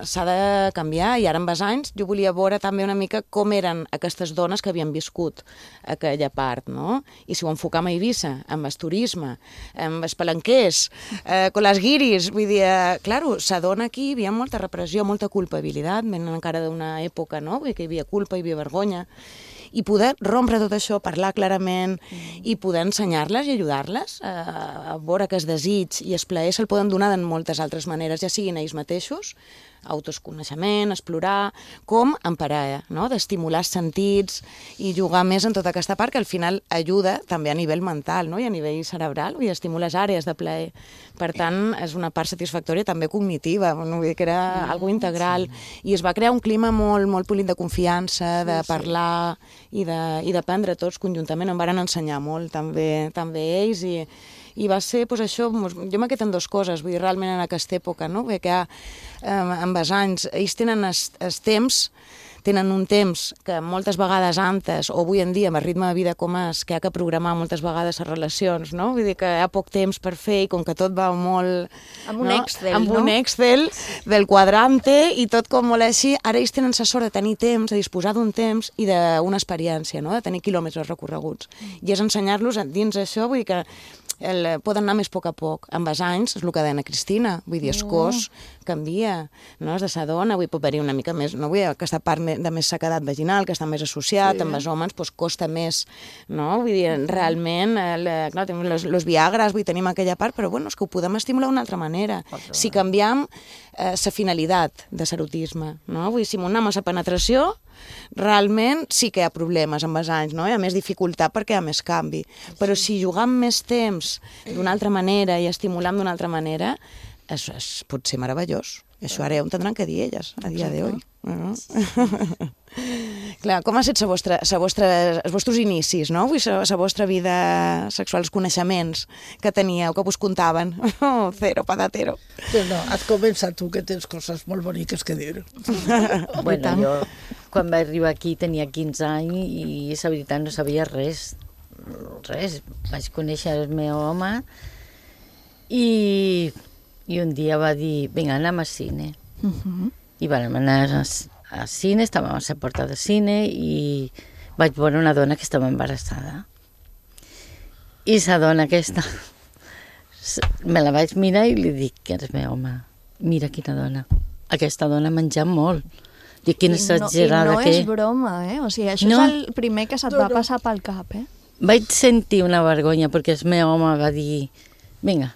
s'ha de canviar, i ara amb els anys jo volia veure també una mica com eren aquestes dones que havien viscut aquella part, no? I si ho enfocam a Eivissa, amb el turisme, amb els palanquers, eh, con les guiris, vull dir, eh, claro, s'adona aquí hi havia molta repressió, molta culpabilitat, venen encara d'una època, no? Vull dir que hi havia culpa, hi havia vergonya, i poder rompre tot això, parlar clarament mm. i poder ensenyar-les i ajudar-les a, a veure que el desig i el plaer se'l poden donar de moltes altres maneres, ja siguin ells mateixos, autoconeixement, explorar, com en parella, no? D'estimular els sentits i jugar més en tota aquesta part que al final ajuda també a nivell mental, no? I a nivell cerebral, i estimula les àrees de plaer. Per tant, és una part satisfactòria també cognitiva, no? Vull dir que era mm, algo integral, sí. I es va crear un clima molt, molt polit de confiança, de sí, parlar sí. i de, i d'aprendre tots conjuntament. Em van ensenyar molt també, també ells, i i va ser, doncs això, jo m'he quedat en dues coses, vull dir, realment en aquesta època, no? Perquè eh, amb els anys, ells tenen els temps, tenen un temps que moltes vegades antes, o avui en dia, amb el ritme de vida com és, que hi ha que programar moltes vegades les relacions, no? Vull dir que hi ha poc temps per fer, i com que tot va molt... Amb un no? Excel, amb no? un Excel del quadrante, i tot com molt així. Ara ells tenen la sort de tenir temps, de disposar d'un temps i d'una experiència, no? De tenir quilòmetres recorreguts. I és ensenyar-los dins això, vull dir que el, poden anar més a poc a poc. Amb els anys, és el que deia la Cristina, vull dir, el cos canvia, no? És de sa dona, vull haver-hi una mica més, no? Vull dir, aquesta part de més sequedat vaginal, que està més associat, sí. Amb els homes, doncs costa més, no? Vull dir, realment, el, clar, tenim los, los viagres, vull dir, tenim aquella part, però bueno, és que ho podem estimular d'una altra manera. Altra si canviem la eh, finalitat de l'erotisme, no? Vull dir, si anem a la penetració, realment sí que hi ha problemes amb els anys, no? Hi ha més dificultat perquè hi ha més canvi. Però si jugam més temps d'una altra manera i estimulam d'una altra manera, és, és, pot ser meravellós. Això ara ja ho tindran que dir elles, a dia d'avui. No? Clar, com ha estat la vostra, la vostra, els vostres inicis, no? Vull la, la vostra vida sexual, els coneixements que teníeu, que vos contaven. Oh, cero patatero. Però no, has començat tu, que tens coses molt boniques que dir. Bueno, jo quan vaig arribar aquí tenia quinze anys i la veritat no sabia res. Res. Vaig conèixer el meu home i, i un dia va dir, vinga, anem al cine. Uh-huh. I vam anar al cine, estàvem a la porta del cine i vaig veure una dona que estava embarassada. I la dona aquesta, me la vaig mirar i li dic que és meu home. Mira quina dona. Aquesta dona ha menjat molt. Dic, quina exagerada que... I no és broma, eh? O sigui, això no. és el primer que se't va passar pel cap, eh? Vaig sentir una vergonya perquè el meu home va dir, vinga,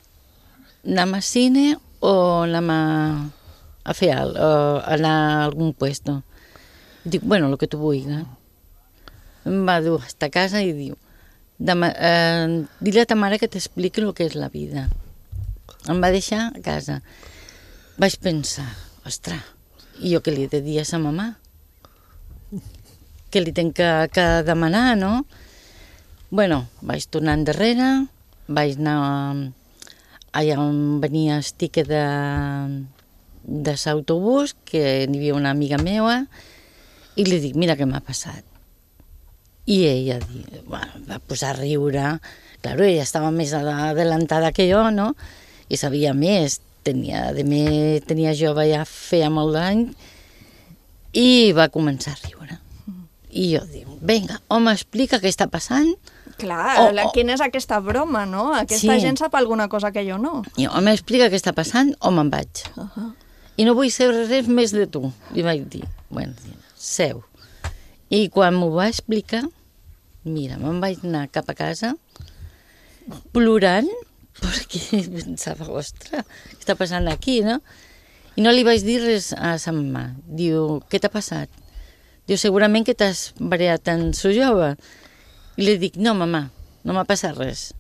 anem al cine o anem a... a fer alt, o anar a algun puesto. Dic, bueno, el que tu vulguis. Em va dur a casa i diu, eh, dile a ta mare que t'expliqui el que és la vida. Em va deixar a casa. Vaig pensar, ostres, i jo què li he de dir a sa mamà? Què li tenc que, que demanar, no? Bueno, vaig tornar endarrere, vaig anar allà on venia el tiquet de... de l'autobús, que n'hi havia una amiga meva, i li dic, mira què m'ha passat. I ella bueno, va posar a riure. Claro, ella estava més adelantada que jo, no? I sabia més. Tenia, de més, tenia jove, ja feia molt d'any, i va començar a riure. I jo dic, vinga, home, explica què està passant. Clar, oh, oh. Quina és aquesta broma, no? Aquesta sí. Gent sap alguna cosa que jo no. I home, explica què està passant o me'n vaig. Uh -huh. I no vull saber res més de tu. Li vaig dir, bueno, seu. I quan m'ho va explicar, mira, me'n vaig anar cap a casa plorant, perquè pensava, ostres, què està passant aquí, no? I no li vaig dir res a sa mamà. Diu, què t'ha passat? Diu, segurament que t'has variat en su jove. I li dic, no, mamà, no m'ha passat res.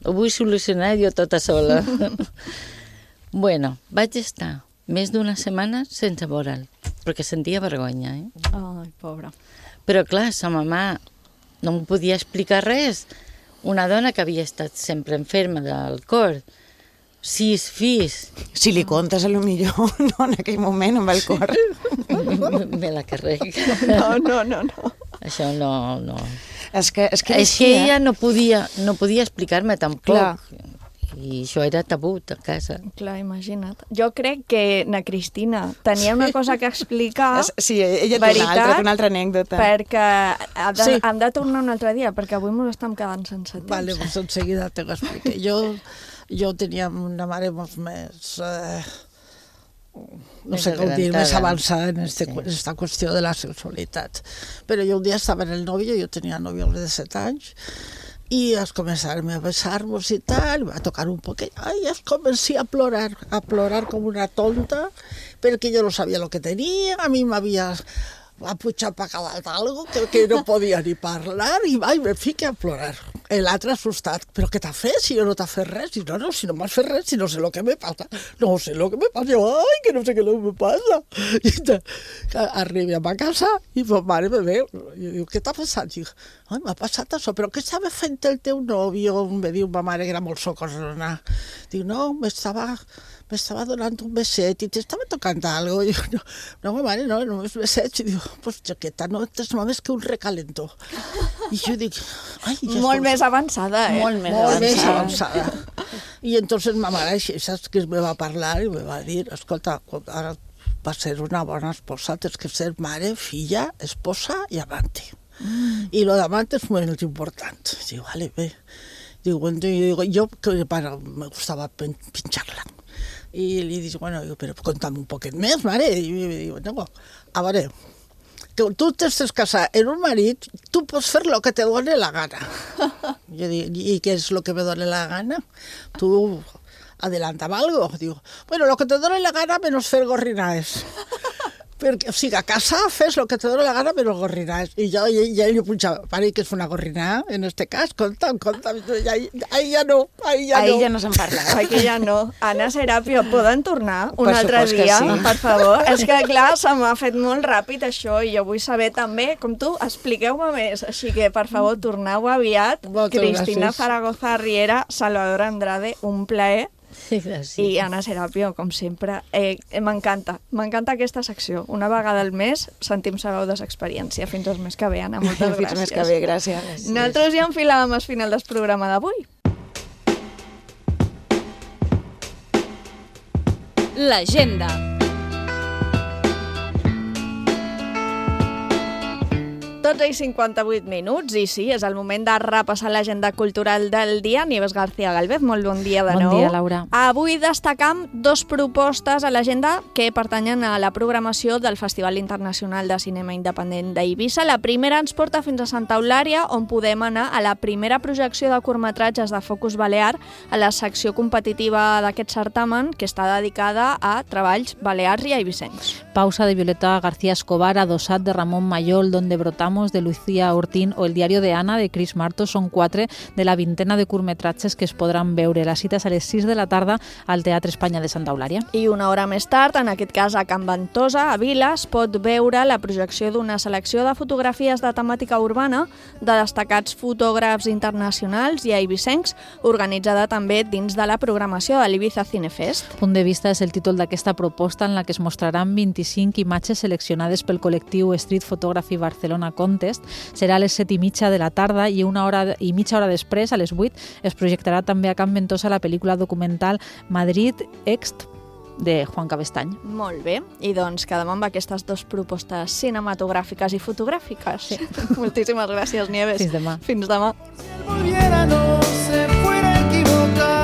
Ho vull solucionar jo tota sola. Bueno, vaig estar més d'una setmana sense veure'l, perquè sentia vergonya, eh? Ai, pobra. Però clar, sa mamà no em podia explicar res. Una dona que havia estat sempre enferma del cor, sis fills... Si li contes, a lo millor, no, en aquell moment, amb el cor. Me la carrega. No, no, no, no. Això no, no. És que, és que, és que ella no podia, no podia explicar-me tampoc. Clar. I això era tabú a casa. Clar, imagina't. Jo crec que na Cristina tenia una cosa que explicar. Sí, ella té una altra, una altra anècdota. Perquè hem de, Sí. hem de tornar un altre dia, perquè avui ens estem quedant sense temps. Vale, pues enseguida te lo explico. Jo, jo tenia una mare molt més... Eh, no sé com dir, més avançada en este, sí. esta qüestió de la sexualitat. Però jo un dia estava en el novio, jo tenia novio de set anys, i es començaron a besar-nos i tal, va tocar un poquet, i es comencé a plorar, a plorar com una tonta, perquè jo no sabia lo que tenia, a mi m'havia aputxat per cada algo, que, que no podia ni parlar, i va, i me fique a plorar. L'altre assustat, però què t'ha fet? Si jo no t'ha fet res, i no, no, si no m'has fet res, si no sé lo que me passa, no sé lo que me passa, jo, ai, que no sé què me passa. I te, arribem a casa, i ma mare me veu, i diu, què t'ha passat? Dic, ai, m'ha passat això, però què estava fent el teu nòvio? Me diu ma mare, que era molt socosona. Diu, no, m'estava... m'estava donant un beset i t'estava tocant algo. I diu, no, no, ma mare, no, només besets. I diu, pues jaqueta, no és només que un recalentó. I jo dic, ai... Ja molt més avançada, eh? Molt més molt avançada. Més avançada. I entonces ma mare, saps que me va parlar i me va dir, escolta, ara va ser una bona esposa, tens que ser mare, filla, esposa i amante. Mm. I lo d'amante és molt important. Diu, vale, bé. Diu, bueno, jo, que para, me gustava pinxar-la. I li dic, bueno, però conta'm un poquet més, mare. I mi diu, no, a veure, que tu t'estàs casat en un marit, tu pots fer lo que te doni la gana. Jo dic, i què és lo que me doni la gana? Tu adelanta'm algo. Diu, bueno, lo que te doni la gana menos fer gorrinades. Perquè, o sigui, a casa fes lo que te dóna la gana, però gorrinàs. I jo, i, i ell jo punxava, pare, que és una gorrinà, en este cas, compta'm, compta'm. Ahí, ahí ja no, ahí ja ahí no. ja no se'n parla. Aquí ja no. Anna Serapio, poden tornar un Per altre supost que dia, sí. per favor? És que, clar, se m'ha fet molt ràpid això i jo vull saber també, com tu, expliqueu-me més. Així que, per favor, torneu aviat. Moltes Cristina gràcies. Zaragoza Riera, Salvador Andrade, un plaer. Sí, gràcies. I Anna Serapio, com sempre, eh, m'encanta, m'encanta aquesta secció. Una vegada al mes sentim sabeu d'experiència. Fins el mes que ve, Anna, moltes gràcies. Fins el mes que ve, gràcies. Nosaltres ja enfilàvem al final del programa d'avui. L'agenda. dotze i cinquanta-vuit minuts, i sí, és el moment de repassar l'agenda cultural del dia. Nieves García Galvez, molt bon dia de Bon nou. dia, Laura. Avui destacam dos propostes a l'agenda que pertanyen a la programació del Festival Internacional de Cinema Independent d'Eivissa. La primera ens porta fins a Santa Eulària, on podem anar a la primera projecció de curtmetratges de Focus Balear a la secció competitiva d'aquest certamen, que està dedicada a treballs balears i eivissencs. Pausa de Violeta García Escobar, Adossat de Ramón Mayol, Donde brotamos de Lucía Ortín o El diario de Ana de Chris Marto són quatre de la vintena de curtmetratges que es podran veure. La cita és a les sis de la tarda al Teatre Espanya de Santa Eulària. I una hora més tard, en aquest cas a Can Ventosa, a Vila, es pot veure la projecció d'una selecció de fotografies de temàtica urbana de destacats fotògrafs internacionals i eivissencs, organitzada també dins de la programació de l'Ibiza Cinefest. Punt de vista és el títol d'aquesta proposta, en la que es mostraran vint-i-cinc imatges seleccionades pel col·lectiu Street Photography Barcelona Contest. Serà a les set i mitja de la tarda i una hora i mitja hora després, a les vuit, es projectarà també a Can Ventosa la pel·lícula documental Madrid Ext de Juan Cabestany. Molt bé, i doncs quedem amb aquestes dues propostes cinematogràfiques i fotogràfiques. Sí. Moltíssimes gràcies, Nieves. Fins demà. Fins demà. Volviera, no se fuera a equivocar.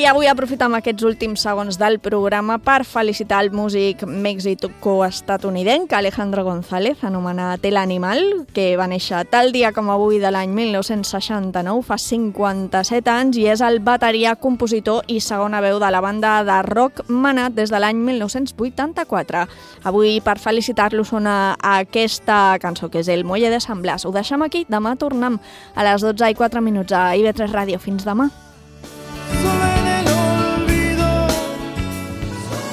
I avui aprofitem aquests últims segons del programa per felicitar el músic mexico-estatunidenc Alejandro González, anomenat El Animal, que va néixer tal dia com avui de l'any mil nou-cents seixanta-nou, fa cinquanta-set anys, i és el bateria, compositor i segona veu de la banda de rock Manat des de l'any mil nou-cents vuitanta-quatre. Avui, per felicitar-lo, sona aquesta cançó, que és El Muelle de San Blas. Ho deixem aquí, demà tornem a les dotze i quatre minuts a I V tres Ràdio. Fins demà.